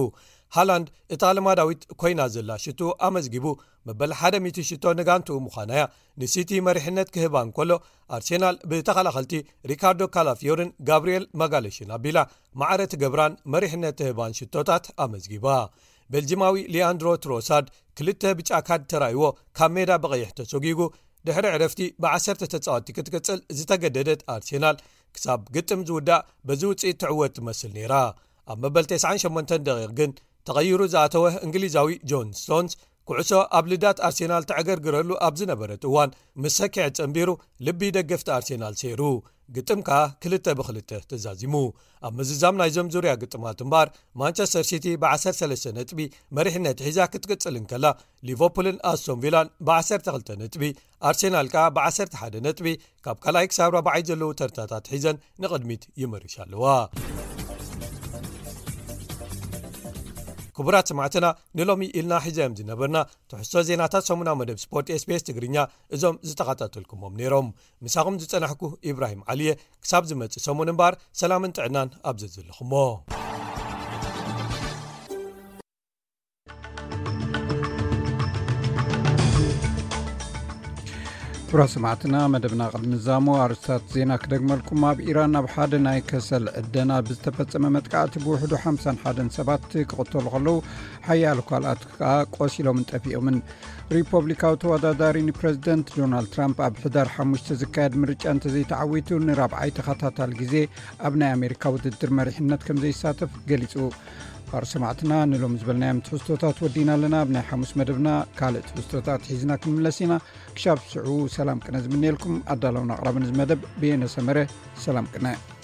ሃላንድ እታ ልማዳዊት ኮይና ዘላ ሽቶ ኣመዝጊቡ፣ መበል ሓደ ሚእቲ ሽቶ ንጋንትኡ ምዃና እያ ንሲቲ መሪሕነት ክህባ እንከሎ፣ ኣርሴናል ብተኸላኸልቲ ሪካርዶ ካላፊዮርን ጋብሪኤል ማጋለሽን ኣቢላ ማዕረ ትገብራን መሪሕነት ትህባን ሽቶታት ኣመዝጊባ። ቤልጂማዊ ሊያንድሮ ትሮሳርድ ክልተ ብጫ ካርድ ተራይዎ ካብ ሜዳ ብቐይሕ ተሰጒጉ፣ ድሕሪ ዕረፍቲ ብዓሰርተ ተጻወትቲ ክትቅጽል ዝተገደደት ኣርሴናል፣ ክሳብ ግጥም ዝውዳእ በዚ ውጽኢት ትዕወት ትመስል ነይራ። ኣብ መበል ተስዓን ሸሞንተን ደቂቕ ግን ተቐይሩ ዝኣተወ እንግሊዛዊ ጆን ስቶንስ፣ ኩዕሶ ኣብ ልዳት ኣርሴናል ተዕገርግረሉ ኣብ ዝነበረት እዋን፣ ምስ ሰኪዐ ጸንቢሩ ልቢ ደገፍቲ ኣርሴናል ሰይሩ። ግጥም ከኣ ክልተ ብክልተ ተዛዚሙ። ኣብ ምዝዛም ናይዞም ዙርያ ግጥማት እምበኣር፣ ማንቸስተር ሲቲ ብዓሰርተ ሰለስተ ነጥቢ መሪሕነት ሒዛ ክትቅጽል እንከላ፣ ሊቨርፑልን ኣስቶን ቪላን ብዓሰርተ ክልተ ነጥቢ፣ ኣርሴናል ከኣ ብዓሰርተ ሓደ ነጥቢ ካብ ካልኣይ ክሳብ ራብዓይ ዘለዉ ተርታታት ሒዘን ንቕድሚት ይመርሻ ኣለዋ። ክቡራት ሰማዕትና፣ ንሎሚ ኢልና ሒዘዮም ዝነበርና ትሕዝቶ ዜናታት ሰሙናዊ መደብ ስፖርት ኤስቢኤስ ትግርኛ እዞም ዝተኸታተልኩሞም ነይሮም። ምሳኹም ዝጸናሕኩ ኢብራሂም ዓሊየ። ክሳብ ዝመጽእ ሰሙን እምበኣር፣ ሰላምን ጥዕናን ኣብ ዘዘለኹሞ። ክቡራት ሰማዕትና፣ መደብና ቅድሚ ምዛሙ ኣርእስታት ዜና ክደግመልኩም። ኣብ ኢራን ኣብ ሓደ ናይ ከሰል ዕደና ብዝተፈጸመ መጥቃዕቲ ብውሕዱ ሓምሳን ሓደን ሰባት ክቕተሉ ከለዉ፣ ሓያሎ ካልኣት ከኣ ቆሲሎምን ጠፊኦምን። ሪፖብሊካዊ ተወዳዳሪ ንፕረዚደንት ዶናልድ ትራምፕ ኣብ ሕዳር ሓሙሽተ ዝካየድ ምርጫ እንተዘይተዓዊቱ ንራብዓይ ተኸታታሊ ግዜ ኣብ ናይ ኣሜሪካ ውድድር መሪሕነት ከም ዘይሳተፍ ገሊጹ። ክቡራት ሰማዕትና፣ ንሎሚ ዝበልናዮም ትሕዝቶታት ወዲና ኣለና። ኣብ ናይ ሓሙስ መደብና ካልእ ትሕዝቶታት ሒዝና ክንምለስ ኢና። ክሻብ ሽዑ ሰላም ቅነ ዝምነየልኩም። ኣዳለውን ኣቕራብን እዚ መደብ ብየነ ሰመረ። ሰላም ቅነ።